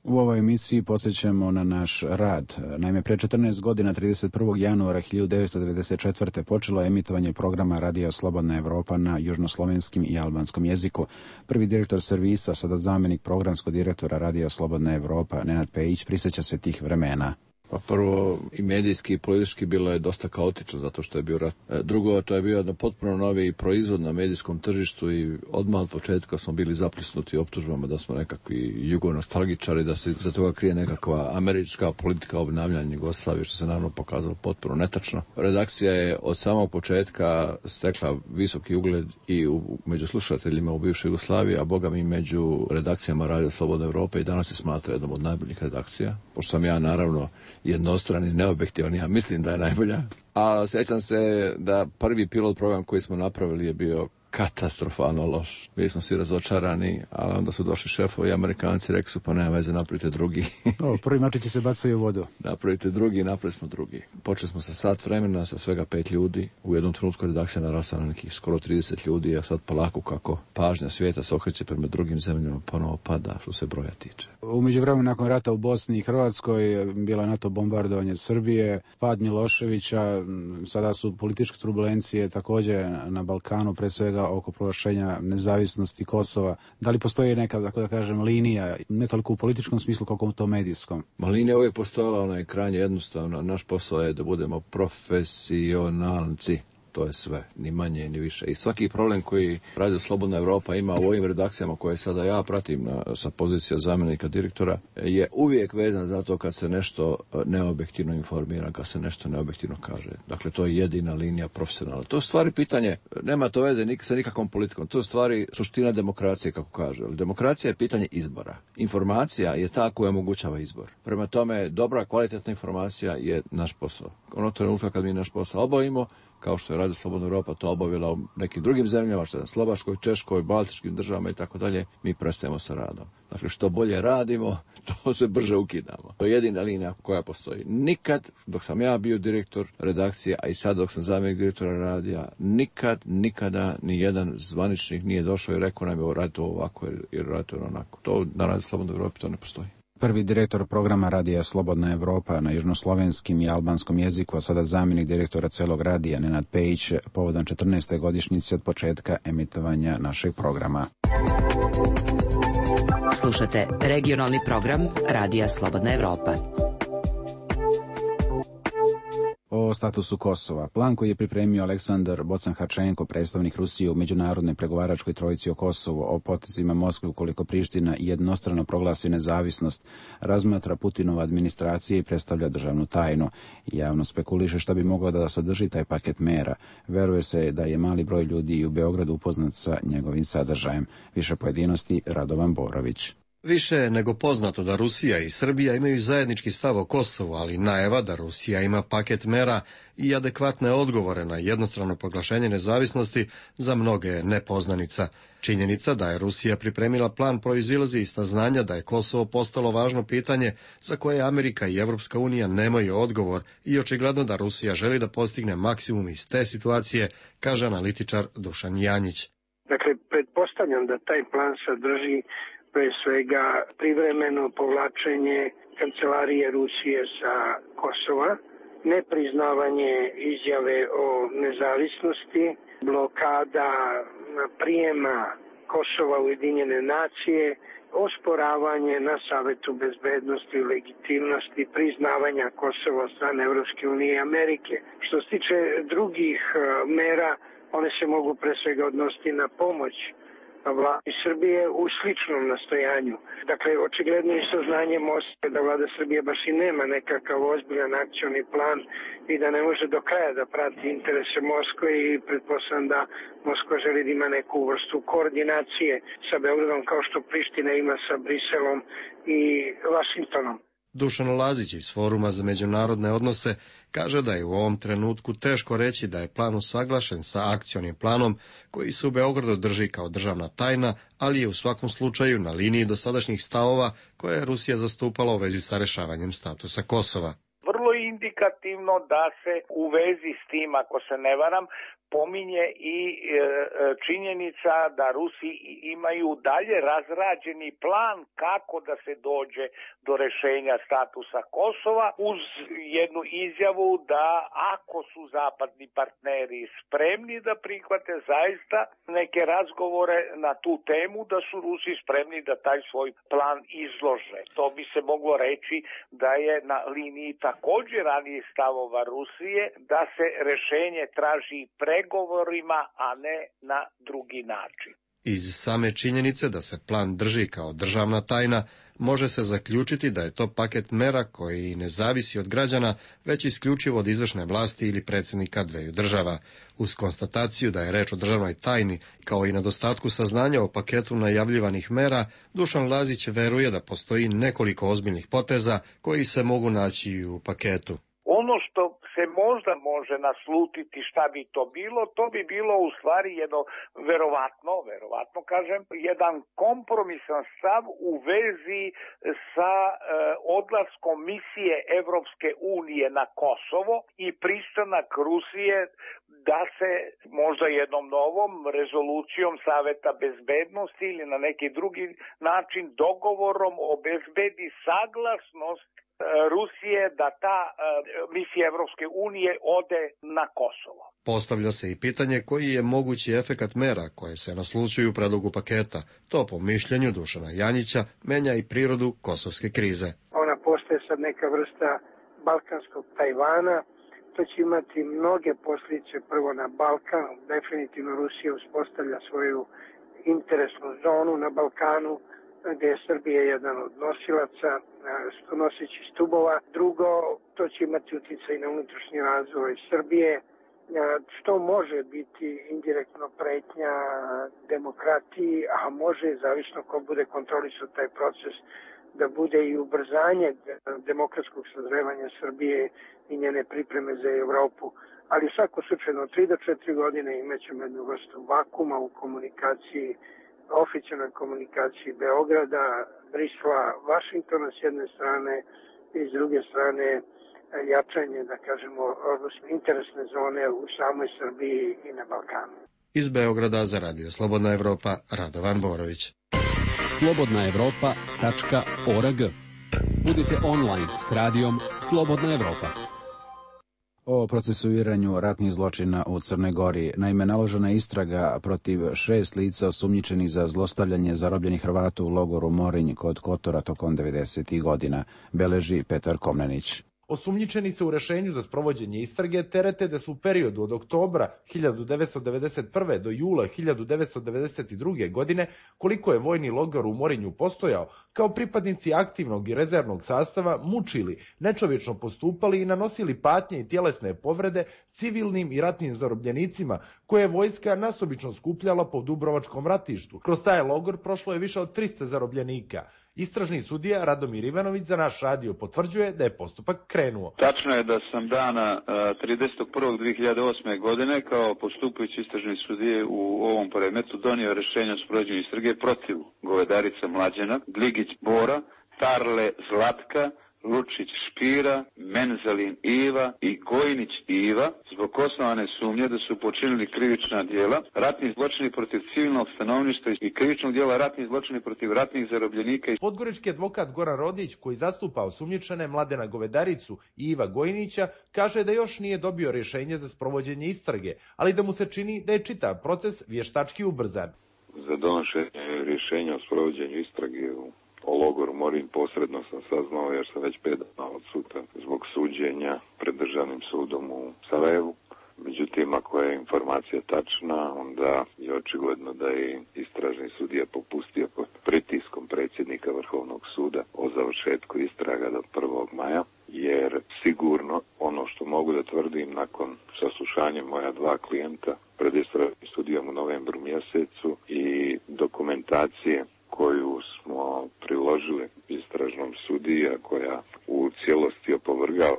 U ovoj emisiji podsjećamo na naš rad. Naime, pre 14 godina, 31. januara 1994. počelo je emitovanje programa Radija Slobodna Evropa na južnoslovenskim i albanskom jeziku. Prvi direktor servisa, sada zamjenik programskog direktora Radija Slobodna Evropa, Nenad Pejić, prisjeća se tih vremena. Pa prvo, i medijski i politički bilo je dosta kaotično zato što je bio rat. Drugo, to je bio jedan potpuno novi proizvod na medijskom tržištu i odmah od početka smo bili zaplisnuti optužbama da smo nekakvi jugonostalgičari, da se za toga krije nekakva američka politika obnavljanja Jugoslavije, što se naravno pokazalo potpuno netačno. Redakcija je od samog početka stekla visoki ugled i među slušateljima u bivšoj Jugoslaviji, a boga mi među redakcijama Radija Slobodna Evropa i danas se smatra jednom od najboljih redakcija, pošto sam ja naravno jednostrani, neobjektivan, ja mislim da je najbolja. A sjećam se da prvi pilot program koji smo napravili je bio katastrofalno loš. Bili smo svi razočarani, ali onda su došli šefovi Amerikanci, rekli su pa nema veze, napravite drugi. Prvi mačići se bacaju u vodu. Napravite drugi, napravili smo drugi. Počeli smo sa sat vremena, sa svega 5 ljudi. U jednom trenutku redakcija narasla na nekih skoro 30 ljudi, a sad polako kako pažnja svijeta se okreće prema drugim zemljama, ponovo pada što se broja tiče. U međuvremenu nakon rata u Bosni i Hrvatskoj bilo je NATO bombardovanje Srbije, pad Miloševića, sada su političke turbulencije također na Balkanu, pre svega oko proglašenja nezavisnosti Kosova. Da li postoji neka, tako da kažem, linija, ne toliko u političkom smislu kako u tom medijskom? Linija uvijek postojala, ona je krajnje jednostavna. Naš posao je da budemo profesionalci. To je sve, ni manje ni više. I svaki problem koji Radio Slobodna Evropa ima u ovim redakcijama koje sada ja pratim sa pozicija zamjenika direktora je uvijek vezan za to kad se nešto neobjektivno informira, kad se nešto neobjektivno kaže. Dakle, to je jedina linija profesionalna. To je stvari pitanje, nema to veze sa nikakvom politikom. To je stvari suština demokracije, kako kaže. Demokracija je pitanje izbora. Informacija je ta koja omogućava izbor. Prema tome, dobra, kvalitetna informacija je naš posao. Ono trenutka kad mi naš posao obavimo, kao što je Radio Slobodna Evropa to obavila u nekim drugim zemljama, što je na Slovačkoj, Češkoj, Baltičkim državama i tako dalje, mi prestajemo sa radom. Dakle, što bolje radimo, to se brže ukidamo. To je jedina linija koja postoji. Nikad, dok sam ja bio direktor redakcije, a i sad dok sam zamjenik direktora radija, nikada ni jedan zvaničnik nije došao i rekao nam je radite ovako ili radite onako. To na Radio Slobodna Evropa to ne postoji. Prvi direktor programa Radija Slobodna Evropa na južnoslovenskim i albanskom jeziku, a sada zamjenik direktora celog radija Nenad Pejić, povodom 14. godišnjice od početka emitovanja našeg programa. Slušate regionalni program Radija Slobodna Evropa. O statusu Kosova. Plan koji je pripremio Aleksandar Bocan-Hačenko, predstavnik Rusije u međunarodnoj pregovaračkoj trojici o Kosovu, o potezima Moskve ukoliko Priština jednostrano proglasi nezavisnost, razmatra Putinova administracija i predstavlja državnu tajnu. Javno spekuliše šta bi moglo da sadrži taj paket mera. Veruje se da je mali broj ljudi i u Beogradu upoznat sa njegovim sadržajem. Više pojedinosti Radovan Borović. Više je nego poznato da Rusija i Srbija imaju zajednički stav o Kosovu, ali najava da Rusija ima paket mera i adekvatne odgovore na jednostrano proglašenje nezavisnosti za mnoge je nepoznanica. Činjenica da je Rusija pripremila plan proizilazi iz saznanja da je Kosovo postalo važno pitanje za koje Amerika i Evropska unija nemaju odgovor i očigledno da Rusija želi da postigne maksimum iz te situacije, kaže analitičar Dušan Janjić. Dakle, pretpostavljam da taj plan sadrži pre svega privremeno povlačenje kancelarije Rusije sa Kosova, nepriznavanje izjave o nezavisnosti, blokada prijema Kosova u Ujedinjene nacije, osporavanje na Savetu bezbednosti i legitimnosti priznavanja Kosova od strane Evropske unije i Amerike. Što se tiče drugih mera, one se mogu pre svega odnositi na pomoć vladi Srbije u sličnom nastojanju. Dakle, očigledno je saznanje Moskve da vlada Srbije baš i nema nekakav ozbiljan akcioni plan i da ne može do kraja da prati interese Moskve i pretpostavljam da Moskva želi da ima neku vrstu koordinacije sa Beogradom kao što Priština ima sa Briselom i Vašingtonom. Dušan Lazić iz Foruma za međunarodne odnose kaže da je u ovom trenutku teško reći da je plan usaglašen sa akcionim planom koji se u Beogradu drži kao državna tajna, ali je u svakom slučaju na liniji dosadašnjih stavova koje je Rusija zastupala u vezi sa rešavanjem statusa Kosova. Vrlo je indikativno da se u vezi s tim, ako se ne varam, pominje i činjenica da Rusi imaju dalje razrađeni plan kako da se dođe do rešenja statusa Kosova uz jednu izjavu da ako su zapadni partneri spremni da prihvate zaista neke razgovore na tu temu, da su Rusi spremni da taj svoj plan izlože. To bi se moglo reći da je na liniji također ranijih stavova Rusije da se rešenje traži pregovorima, a ne na drugi način. Iz same činjenice da se plan drži kao državna tajna, može se zaključiti da je to paket mera koji ne zavisi od građana, već isključivo od izvršne vlasti ili predsjednika dveju država. Uz konstataciju da je reč o državnoj tajni, kao i nedostatku saznanja o paketu najavljivanih mera, Dušan Lazić veruje da postoji nekoliko ozbiljnih poteza koji se mogu naći u paketu. Ono što se možda može naslutiti šta bi to bi bilo u stvari jedno verovatno kažem, jedan kompromisan stav u vezi sa odlaskom misije Evropske unije na Kosovo i pristanak Rusije da se možda jednom novom rezolucijom Saveta bezbednosti ili na neki drugi način dogovorom obezbedi saglasnost Rusije da ta misija Evropske unije ode na Kosovo. Postavlja se i pitanje koji je mogući efekat mera koje se naslučuju u predlogu paketa. To po mišljenju Dušana Janjića menja i prirodu kosovske krize. Ona postaje sad neka vrsta balkanskog Tajvana. To će imati mnoge posljedice prvo na Balkan. Definitivno Rusija uspostavlja svoju interesnu zonu na Balkanu, gdje je Srbija jedan od nosilaca, noseći stubova. Drugo, to će imati utjecaj na unutrašnji razvoj Srbije, što može biti indirektno pretnja demokratiji, a može, zavisno ko bude kontrolisao taj proces, da bude i ubrzanje demokratskog sazrevanja Srbije i njene pripreme za Evropu. Ali u svakom slučaju, od 3 do 4 godine imaćemo jednu vrstu vakuma u komunikaciji, oficijalnoj komunikaciji Beograda, Brisla, Vašingtona s jedne strane i s druge strane jačanje, da kažemo, interesne zone u samoj Srbiji i na Balkanu. Iz Beograda za Radio Slobodna Evropa, Radovan Borović. slobodnaevropa.org. Budite online s radijom Slobodna Evropa. o procesuiranju ratnih zločina u Crnoj Gori. Naime, naložena je istraga protiv 6 lica osumnjičenih za zlostavljanje zarobljenih Hrvata u logoru Morinj kod Kotora tokom 90. godina, beleži Petar Komnenić. Osumnjičeni se u rešenju za sprovođenje istrage terete da su u periodu od oktobra 1991. do jula 1992. godine, koliko je vojni logor u Morinju postojao, kao pripadnici aktivnog i rezervnog sastava mučili, nečovječno postupali i nanosili patnje i tjelesne povrede civilnim i ratnim zarobljenicima, koje je vojska nasobično skupljala po Dubrovačkom ratištu. Kroz taj logor prošlo je više od 300 zarobljenika. Istražni sudija Radomir Ivanović za naš radio potvrđuje da je postupak krenuo. Tačno je da sam dana 30.1.2008. godine kao postupajući istražni sudije u ovom predmetu donio rješenje o sprovođenju istrage protiv Govedarica Mlađena, Gligić Bora, Tarle Zlatka, Lučić Špira, Menzalin Iva i Gojnić Iva zbog osnovane sumnje da su počinili krivična djela, ratni zločini protiv civilnog stanovništva i krivičnog djela ratni zločini protiv ratnih zarobljenika. Podgorički advokat Goran Rodić, koji zastupa osumnjičene Mladena Govedaricu i Iva Gojnića, kaže da još nije dobio rješenje za sprovođenje istrage, ali da mu se čini da je čitav proces vještački ubrzan. Za donošenje rješenja o sprovođenju istrage o logoru Morinj posredno sam saznao jer sam već 5 dana odsutan zbog suđenja pred državnim sudom u Sarajevu. Međutim, ako je informacija tačna, onda je očigledno da je istražni sudija popustio pod pritiskom predsjednika Vrhovnog suda o završetku istraga do 1. maja, jer sigurno ono što mogu da tvrdim nakon saslušanja moja 2 klijenta pred istražnim sudijom u novembru mjesecu i dokumentacije koju smo priložili istražnom sudiji, a koja u cijelosti opovrgava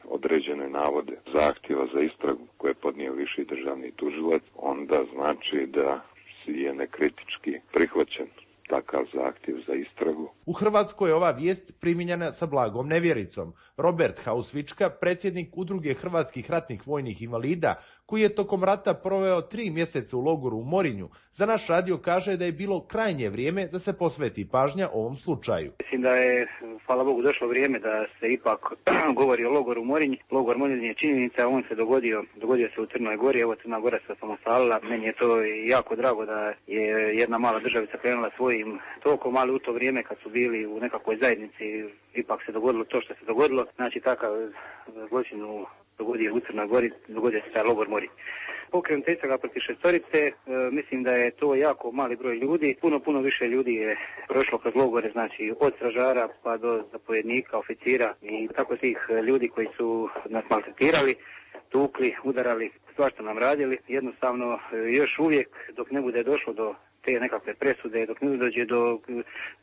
određene navode zahtjeva za istragu koje je podnio viši državni tužilac, onda znači da je nekritički prihvaćen takav zahtjev za istragu. U Hrvatskoj je ova vijest primijenjena sa blagom nevjericom. Robert Hausvička, predsjednik Udruge hrvatskih ratnih vojnih invalida, koji je tokom rata proveo 3 mjeseca u logoru u Morinju, za naš radio kaže da je bilo krajnje vrijeme da se posveti pažnja ovom slučaju. Mislim da je, hvala Bogu, došlo vrijeme da se ipak govori o logoru Morinj. Logor Morinj je činjenica, on se dogodio se u Crnoj Gori, evo Crna Gora se osamostalila. Meni je to jako drago da je jedna mala državica krenula svojim tokom, ali u to vrijeme kad su bili u nekakvoj zajednici, ipak se dogodilo to što se dogodilo. Znači, takav zločin dogodio u Crnoj Gori, dogodio se taj logor Morinj. Pokrenuta istraga protiv 6, mislim da je to jako mali broj ljudi. Puno više ljudi je prošlo kroz logore, znači od stražara pa do zapovjednika, oficira i tako tih ljudi koji su nas maltretirali, tukli, udarali, svašta nam radili. Jednostavno, još uvijek dok ne bude došlo do te nekakve presude, dok ne dođe do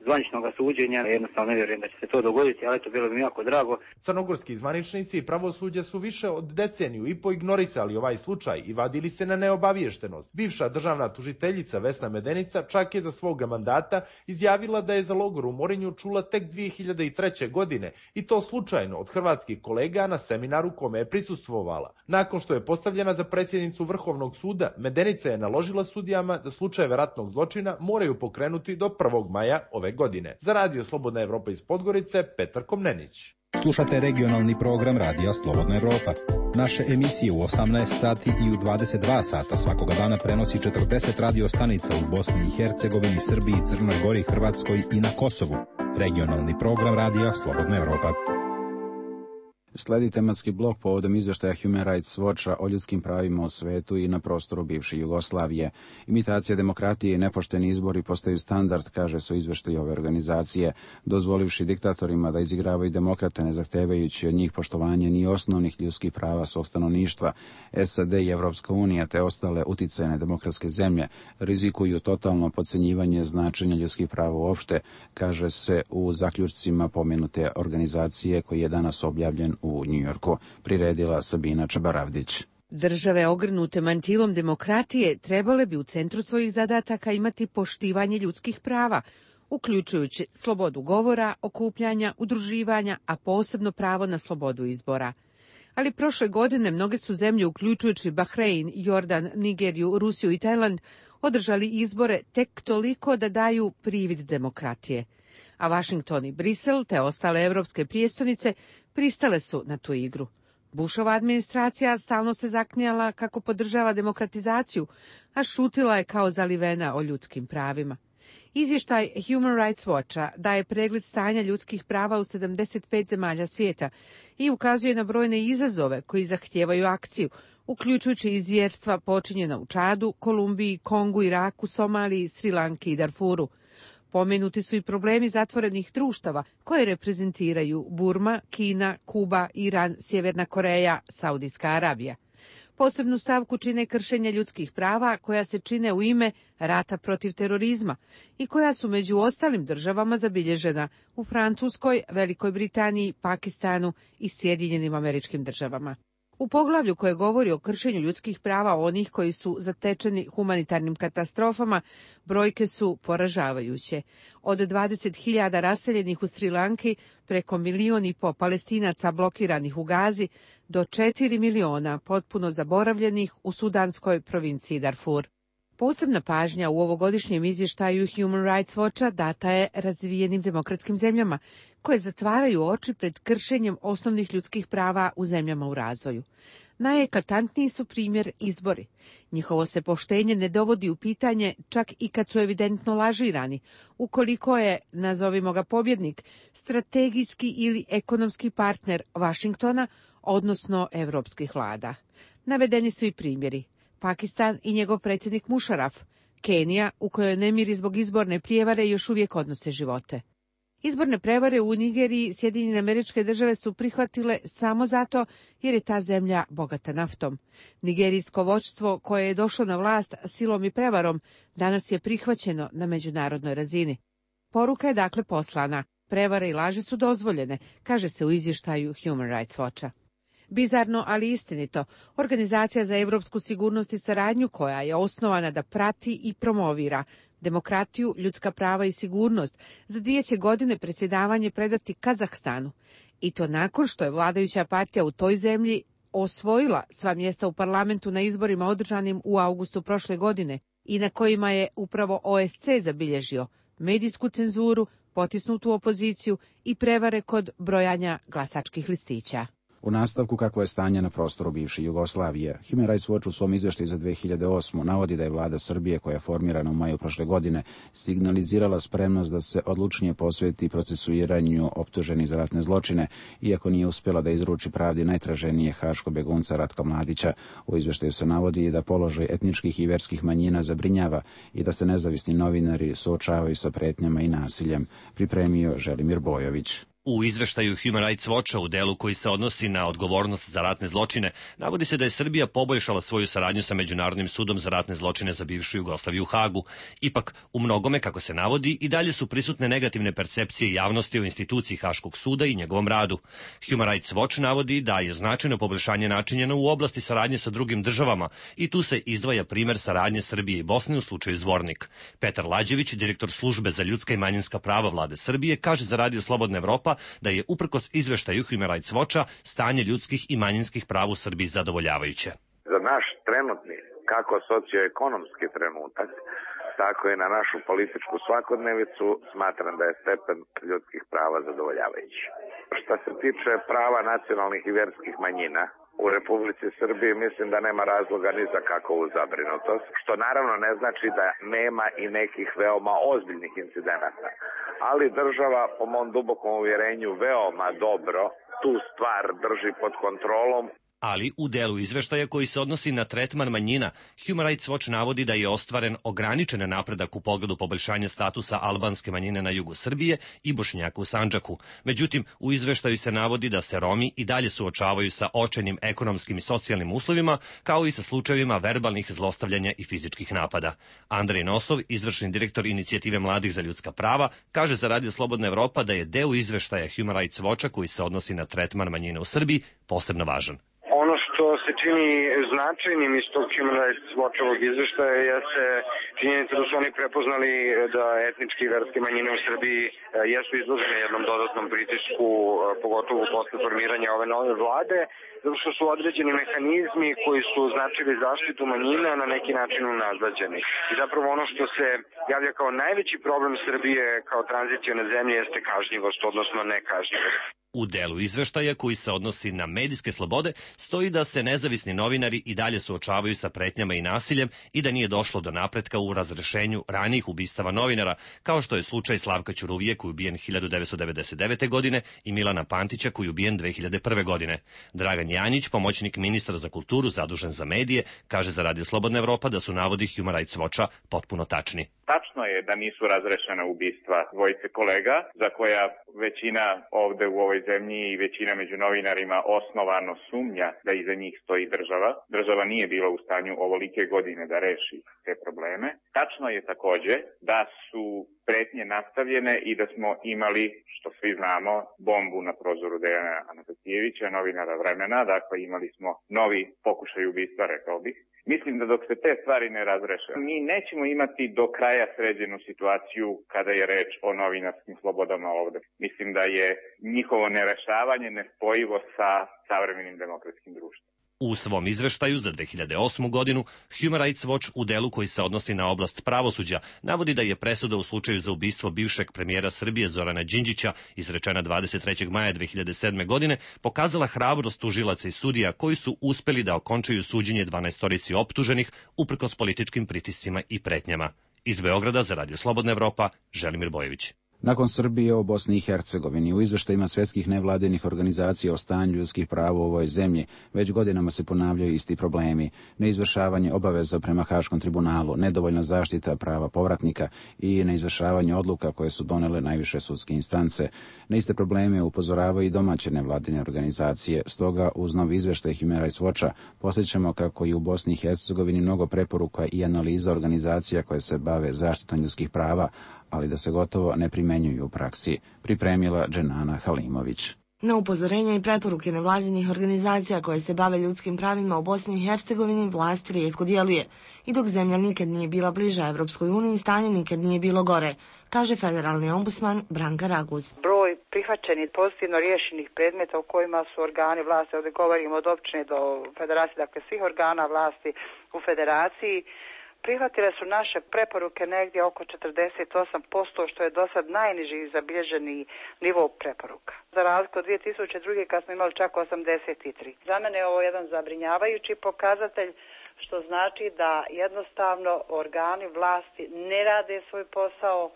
zvaničnog suđenja, jednostavno ne vjerujem da će se to dogoditi, ali to bilo bi mi jako drago. Crnogorski zvaničnici i pravosuđe su više od deceniju i ignorisali ovaj slučaj i vadili se na neobaviještenost. Bivša državna tužiteljica Vesna Medenica čak je za svoga mandata izjavila da je za logor u Morinju čula tek 2003. godine i to slučajno od hrvatskih kolega na seminaru kome je prisustvovala. Nakon što je postavljena za predsjednicu Vrhovnog suda, Medenica je naložila sudijama da slučajeve ratnog zločina moraju pokrenuti do 1. maja ove godine. Za Radio Slobodna Evropa iz Podgorice, Petar Komnenić. Slušate regionalni program Radija Slobodna Evropa. Naše emisije u 18 sati i u 22 sata svakoga dana prenosi 40 radio stanica u Bosni i Hercegovini, Srbiji, Crnoj Gori, Hrvatskoj i na Kosovu. Regionalni program Radija Slobodna Evropa. Sledi tematski blok povodom izvještaja Human Rights Watcha o ljudskim pravima u svetu i na prostoru bivše Jugoslavije. Imitacija demokratije i nepošteni izbori postaju standard, kaže se u izvještaju ove organizacije, dozvolivši diktatorima da izigravaju demokrate, ne zahtevajući od njih poštovanje ni osnovnih ljudskih prava svog stanovništva. SAD i Evropska unija te ostale uticajne demokratske zemlje rizikuju totalno podcenjivanje značenja ljudskih prava uopšte, kaže se u zaključcima pomenute organizacije koji je danas objavljen u Njujorku, priredila Sabina Čabaravdić. Države ogrnute mantilom demokratije trebale bi u centru svojih zadataka imati poštivanje ljudskih prava, uključujući slobodu govora, okupljanja, udruživanja, a posebno pravo na slobodu izbora. Ali prošle godine mnoge su zemlje, uključujući Bahrein, Jordan, Nigeriju, Rusiju i Tajland, održali izbore tek toliko da daju privid demokratije. A Washington i Brisel te ostale evropske prijestolnice pristale su na tu igru. Bushova administracija stalno se zaklinjala kako podržava demokratizaciju, a šutila je kao zalivena o ljudskim pravima. Izvještaj Human Rights Watcha daje pregled stanja ljudskih prava u 75 zemalja svijeta i ukazuje na brojne izazove koji zahtijevaju akciju, uključujući i zvjerstva počinjena u Čadu, Kolumbiji, Kongu, Iraku, Somaliji, Sri Lanki i Darfuru. Pomenuti su i problemi zatvorenih društava koje reprezentiraju Burma, Kina, Kuba, Iran, Sjeverna Koreja, Saudijska Arabija. Posebnu stavku čine kršenja ljudskih prava koja se čine u ime rata protiv terorizma i koja su među ostalim državama zabilježena u Francuskoj, Velikoj Britaniji, Pakistanu i Sjedinjenim Američkim Državama. U poglavlju koje govori o kršenju ljudskih prava onih koji su zatečeni humanitarnim katastrofama, brojke su poražavajuće. Od 20.000 raseljenih u Sri Lanki, preko 1,5 milijuna Palestinaca blokiranih u Gazi, do 4 miliona potpuno zaboravljenih u sudanskoj provinciji Darfur. Posebna pažnja u ovogodišnjem izvještaju Human Rights Watcha data je razvijenim demokratskim zemljama, koje zatvaraju oči pred kršenjem osnovnih ljudskih prava u zemljama u razvoju. Najeklatantniji su primjer izbori. Njihovo se poštenje ne dovodi u pitanje čak i kad su evidentno lažirani, ukoliko je, nazovimo ga pobjednik, strategijski ili ekonomski partner Vašingtona, odnosno evropskih vlada. Navedeni su i primjeri. Pakistan i njegov predsjednik Mušaraf, Kenija, u kojoj nemiri zbog izborne prijevare još uvijek odnose živote. Izborne prevare u Nigeriji Sjedinjene Američke Države su prihvatile samo zato jer je ta zemlja bogata naftom. Nigerijsko vođstvo koje je došlo na vlast silom i prevarom danas je prihvaćeno na međunarodnoj razini. Poruka je dakle poslana. Prevare i laži su dozvoljene, kaže se u izvještaju Human Rights Watcha. Bizarno, ali istinito, Organizacija za europsku sigurnost i saradnju, koja je osnovana da prati i promovira demokratiju, ljudska prava i sigurnost, za 2 će godine predsjedavanje predati Kazahstanu. I to nakon što je vladajuća partija u toj zemlji osvojila sva mjesta u parlamentu na izborima održanim u augustu prošle godine i na kojima je upravo OSC zabilježio medijsku cenzuru, potisnutu opoziciju i prevare kod brojanja glasačkih listića. U nastavku kakvo je stanje na prostoru bivše Jugoslavije, Human Rights Watch u svom izvještaju za 2008. navodi da je vlada Srbije, koja je formirana u maju prošle godine, signalizirala spremnost da se odlučnije posveti procesuiranju optuženih za ratne zločine, iako nije uspjela da izruči pravdi najtraženije haško begunca Ratka Mladića. U izvještaju se navodi da položaj etničkih i vjerskih manjina zabrinjava i da se nezavisni novinari suočavaju sa pretnjama i nasiljem. Pripremio Želimir Bojović. U izveštaju Human Rights Watcha u delu koji se odnosi na odgovornost za ratne zločine, navodi se da je Srbija poboljšala svoju saradnju sa Međunarodnim sudom za ratne zločine za bivšu Jugoslaviju u Hagu. Ipak, u mnogome, kako se navodi, i dalje su prisutne negativne percepcije javnosti o instituciji Haškog suda i njegovom radu. Human Rights Watch navodi da je značajno poboljšanje načinjeno u oblasti saradnje sa drugim državama i tu se izdvaja primer saradnje Srbije i Bosne u slučaju Zvornik. Petar Lađević, direktor službe za ljudska i manjinska prava vlade Srbije, kaže za Radio Slobodna Evropa da je uprkos izveštaju Human Rights Watcha stanje ljudskih i manjinskih prava u Srbiji zadovoljavajuće. Za naš trenutni, kako socioekonomski trenutak, tako i na našu političku svakodnevicu, smatram da je stepen ljudskih prava zadovoljavajući. Što se tiče prava nacionalnih i vjerskih manjina, u Republici Srbiji mislim da nema razloga ni za kakvu zabrinutost, što naravno ne znači da nema i nekih veoma ozbiljnih incidenata. Ali država, po mom dubokom uvjerenju, veoma dobro tu stvar drži pod kontrolom. Ali u delu izveštaja koji se odnosi na tretman manjina, Human Rights Watch navodi da je ostvaren ograničen napredak u pogledu poboljšanja statusa albanske manjine na jugu Srbije i Bošnjaka u Sandžaku. Međutim, u izveštaju se navodi da se Romi i dalje suočavaju sa očajnim ekonomskim i socijalnim uslovima, kao i sa slučajevima verbalnih zlostavljanja i fizičkih napada. Andrej Nosov, izvršni direktor Inicijative mladih za ljudska prava, kaže za Radio Slobodna Evropa da je deo izveštaja Human Rights Watcha koji se odnosi na tretman manjine u Srbiji posebno važan. Ono što se čini značajnim iz tog Human Rights Watchovog izveštaja jeste Činjenica da su oni prepoznali da etnički i verske manjine u Srbiji jesu izložene jednom dodatnom pritisku, pogotovo posle formiranja ove nove vlade, zato što su određeni mehanizmi koji su značili zaštitu manjina na neki način unazvađeni. I zapravo ono što se javlja kao najveći problem Srbije kao tranzicione zemlje jeste kažnjivost, odnosno nekažnjivost. U delu izveštaja koji se odnosi na medijske slobode stoji da se nezavisni novinari i dalje suočavaju sa pretnjama i nasiljem i da nije došlo do napretka u razrešenju ranijih ubistava novinara, kao što je slučaj Slavka Ćuruvije koji je ubijen 1999. godine i Milana Pantića koji je ubijen 2001. godine. Dragan Janjić, pomoćnik ministra za kulturu zadužen za medije, kaže za Radio Slobodna Evropa da su navodi Human Rights Watcha potpuno tačni. Tačno je da nisu razrešena ubistva dvojice kolega, za koja većina ovde u ovoj zemlji i većina među novinarima osnovano sumnja da iza njih stoji država. Država nije bila u stanju ovolike godine da reši te probleme. Tačno je takođe da su pretnje nastavljene i da smo imali, što svi znamo, bombu na prozoru Dejana Anastasijevića, novinara Vremena, dakle imali smo novi pokušaj ubistva, rekao bih. Mislim da dok se te stvari ne razreše, mi nećemo imati do kraja sređenu situaciju kada je reč o novinarskim slobodama ovde. Mislim da je njihovo nerešavanje nespojivo sa savremenim demokratskim društvom. U svom izveštaju za 2008. godinu Human Rights Watch u delu koji se odnosi na oblast pravosuđa navodi da je presuda u slučaju za ubistvo bivšeg premijera Srbije Zorana Đinđića izrečena 23. maja 2007. godine pokazala hrabrost tužilaca i sudija koji su uspeli da okončaju suđenje 12 optuženih uprkos političkim pritiscima i pretnjama. Iz Beograda za Radio Slobodna Evropa, Želimir Bojević. Nakon Srbije o Bosni i Hercegovini, u izveštajima svetskih nevladinih organizacija o stanju ljudskih prava u ovoj zemlji, već godinama se ponavljaju isti problemi. Neizvršavanje obaveza prema Haškom tribunalu, nedovoljna zaštita prava povratnika i neizvršavanje odluka koje su donele najviše sudske instance. Na iste probleme upozoravaju i domaće nevladine organizacije. Stoga, uz novi izveštaj Human Rights Watcha, posjećamo kako je u Bosni i Hercegovini mnogo preporuka i analiza organizacija koje se bave zaštitom ljudskih prava, ali da se gotovo ne primenjuju u praksi, pripremila Dženana Halimović. Na upozorenja i preporuke nevladinih organizacija koje se bave ljudskim pravima u Bosni i Hercegovini vlast rijetko djeluje. I dok zemlja nikad nije bila bliža Evropskoj uniji, stanje nikad nije bilo gore, kaže federalni ombudsman Branka Raguz. Broj prihvaćenih pozitivno riješenih predmeta u kojima su organi vlasti, ovdje govorimo od općine do federacije, dakle svih organa vlasti u federaciji, prihvatile su naše preporuke negdje oko 48%, što je do sad najniži zabilježeni nivo preporuka. Za razliku od 2002. kad smo imali čak 83. Za mene je ovo jedan zabrinjavajući pokazatelj, što znači da jednostavno organi vlasti ne rade svoj posao,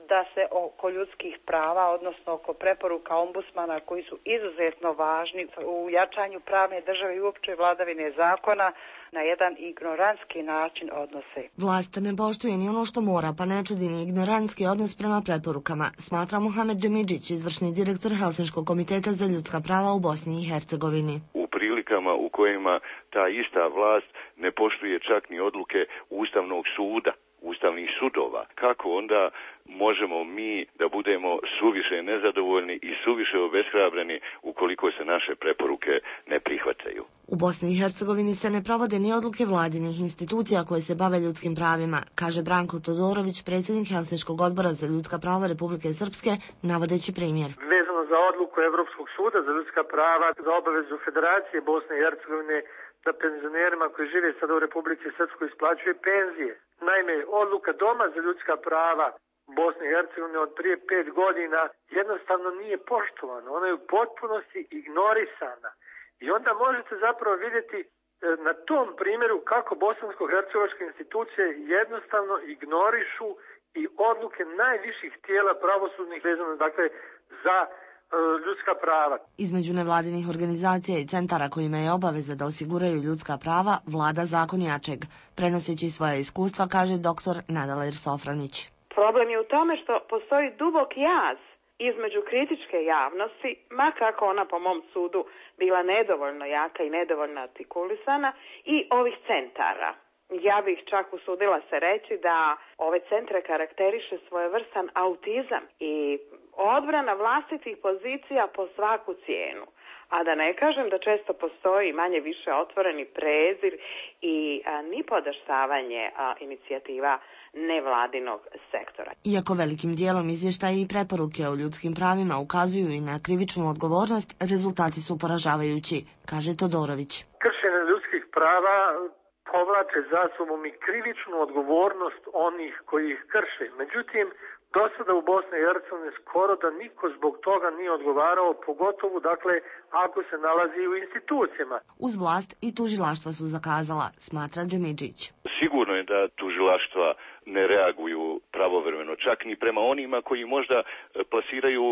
da se oko ljudskih prava, odnosno oko preporuka ombudsmana koji su izuzetno važni u jačanju pravne države i uopće vladavine zakona, na jedan ignorantski način odnose. Vlast ne poštuje ni ono što mora, pa ne čudi ni ignorantski odnos prema preporukama, smatra Mohamed Džemidžić, izvršni direktor Helsinškog komiteta za ljudska prava u Bosni i Hercegovini. U prilikama u kojima ta ista vlast ne poštuje čak ni odluke Ustavnog suda, ustavnih sudova, kako onda možemo mi da budemo suviše nezadovoljni i suviše obeshrabreni ukoliko se naše preporuke ne prihvataju? U Bosni i Hercegovini se ne provode ni odluke vladinih institucija koje se bave ljudskim pravima, kaže Branko Todorović, predsjednik Helsinškog odbora za ljudska prava Republike Srpske, navodeći primjer. Vezano za odluku Evropskog suda za ljudska prava, za obavezu Federacije Bosne i Hercegovine da penzionerima koji žive sada u Republici Srpskoj isplaćuje penzije. Naime, odluka Doma za ljudska prava Bosne i Hercegovine od prije 5 godina jednostavno nije poštovana. Ona je u potpunosti ignorisana. I onda možete zapravo vidjeti na tom primjeru kako bosansko-hercegovačke institucije jednostavno ignorišu i odluke najviših tijela pravosudnih vezano dakle za ljudska prava. Između nevladinih organizacija i centara kojima je obaveza da osiguraju ljudska prava vlada zakon jačeg. Prenoseći svoje iskustva, kaže dr. Nadaler Sofranić. Problem je u tome što postoji dubok jaz između kritičke javnosti, ma kako ona po mom sudu bila nedovoljno jaka i nedovoljno artikulisana, i ovih centara. Ja bih čak usudila se reći da ove centre karakteriše svojevrstan autizam i odbrana vlastitih pozicija po svaku cijenu. A da ne kažem da često postoji manje više otvoreni prezir i nipodaštavanje inicijativa nevladinog sektora. Iako velikim dijelom izvještaji i preporuke o ljudskim pravima ukazuju i na krivičnu odgovornost, rezultati su poražavajući, kaže Todorović. Kršenje ljudskih prava povlače za sobom i krivičnu odgovornost onih koji ih krše. Međutim, do sada u Bosni i Hercegovini skoro da niko zbog toga nije odgovarao, pogotovo ako se nalazi u institucijama. Uz vlast i tužilaštva su zakazala, smatra Džemidžić. Sigurno je da tužilaštva ne reaguju pravovremeno, čak ni prema onima koji možda plasiraju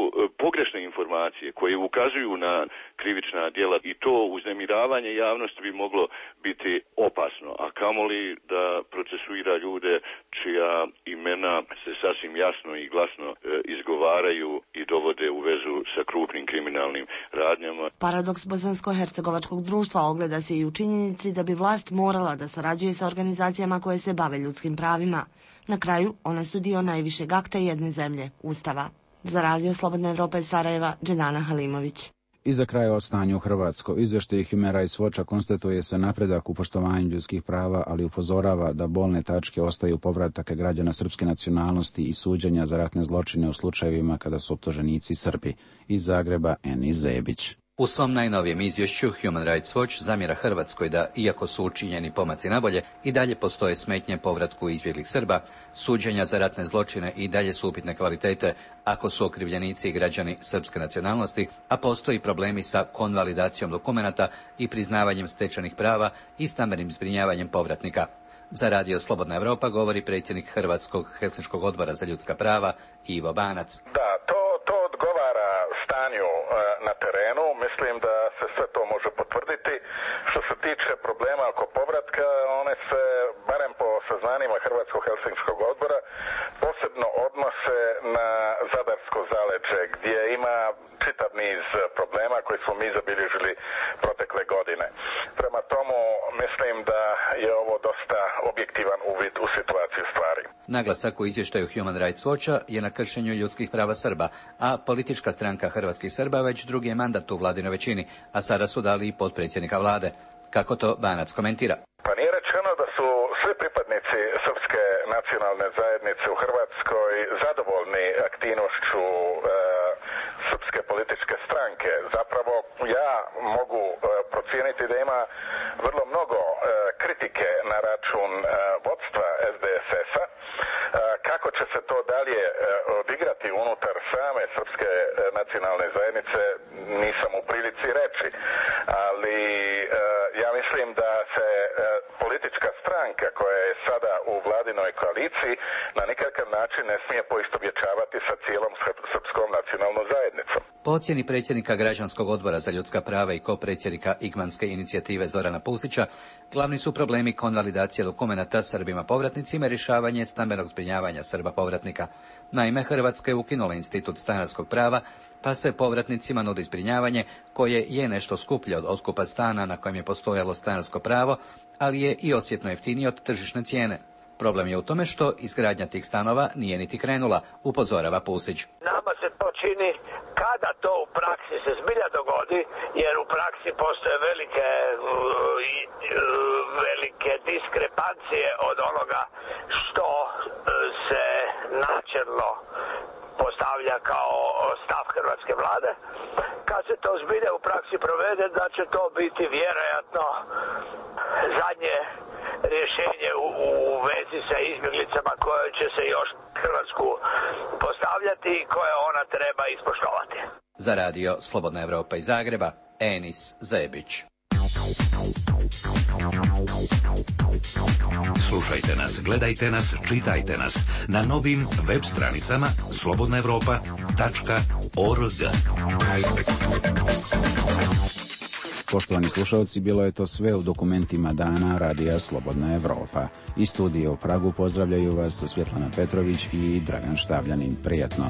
pogrešne informacije, koji ukazuju na krivična djela i to uznemiravanje javnosti bi moglo biti opasno, a kamoli da procesuira ljude čija imena se sasvim jasno i glasno izgovaraju i dovode u vezu sa krupnim kriminalnim radnjama. Paradoks bosansko-hercegovačkog društva ogleda se i u činjenici da bi vlast morala da sarađuje sa organizacijama koje se bave ljudskim pravima. Na kraju, one su dio najvišeg akta jedne zemlje, Ustava. Za Radio Slobodna Evropa iz Sarajeva, Dženana Halimović. I za kraj o stanju u Hrvatskoj. Izvještaj Human Rights Watcha konstatuje se napredak u poštovanju ljudskih prava, ali upozorava da bolne tačke ostaju povratak građana srpske nacionalnosti i suđenja za ratne zločine u slučajevima kada su optuženici Srbi. Iz Zagreba, Enis Zebić. U svom najnovijem izvješću Human Rights Watch zamjera Hrvatskoj da, iako su učinjeni pomaci nabolje, i dalje postoje smetnje povratku izbjeglih Srba, suđenja za ratne zločine i dalje su upitne kvalitete ako su okrivljenici i građani srpske nacionalnosti, a postoji problemi sa konvalidacijom dokumenata i priznavanjem stečenih prava i stambenim zbrinjavanjem povratnika. Za Radio Slobodna Evropa govori predsjednik Hrvatskog Helsinškog odbora za ljudska prava Ivo Banac. Da, to odgovara stanju na terenu. Mislim da se sve to može potvrditi. Što se tiče problema oko povratka, one se, barem po saznanjima Hrvatskog Helsinškog odbora, posebno odnose na Zadarsko zaleđe, gdje ima čitav niz problema koji smo mi zabilježili protekle godine. Prema tomu, mislim da je ovo dosta objektivan uvid u situaciju stvari. Naglasak u izvještaju Human Rights Watcha je na kršenju ljudskih prava Srba, a politička stranka Hrvatskih Srba već drugi je mandat u vladinoj većini, a sada su dali i potpredsjednika vlade. Kako to Banac komentira? Pa nije rečeno da su svi pripadnici srpske nacionalne zajednice u Hrvatskoj zadovoljni aktivnošću srpske političke stranke. Zapravo ja mogu procijeniti da ima vrlo mnogo kritike na račun vodstva SDSS-a. Kako će se to dalje odigrati unutar same srpske nacionalne zajednice nisam u prilici reći, ali ja mislim da se politička stranka koja je sada u vladinoj koaliciji na nikakav način ne smije poistovjećavati sa cijelom srpskom nacionalnom zajednicom. Po ocjeni predsjednika Građanskog odbora za ljudska prava i kopredsjednika Igmanske inicijative Zorana Pusića, glavni su problemi konvalidacije dokumenata Srbima povratnicima i rješavanje stambenog zbrinjavanja Srba povratnika. Naime, Hrvatska je ukinula institut stanarskog prava, pa se povratnicima nudi zbrinjavanje koje je nešto skuplje od otkupa stana na kojem je postojalo stanarsko pravo, ali je i osjetno jeftinije od tržišne cijene. Problem je u tome što izgradnja tih stanova nije niti krenula, upozorava Pusić. Nama se to čini kada to u praksi se zbilja dogodi, jer u praksi postoje velike diskrepancije od onoga što se načelno postavlja kao stav hrvatske vlade. Kad se to zbilja u praksi provede, da će to biti vjerojatno zadnje rješenje u vezi sa izbjeglicama koje će se još Hrvatsku postavljati i koje ona treba ispoštovati. Za Radio Slobodna Evropa iz Zagreba, Enis Zebić. Slušajte nas, gledajte nas, čitajte nas na novim web stranicama slobodnaevropa.org. Poštovani slušalci, bilo je to sve u dokumentima dana Radija Slobodna Evropa. Iz studija u Pragu pozdravljaju vas Svjetlana Petrović i Dragan Štavljanin. Prijatno.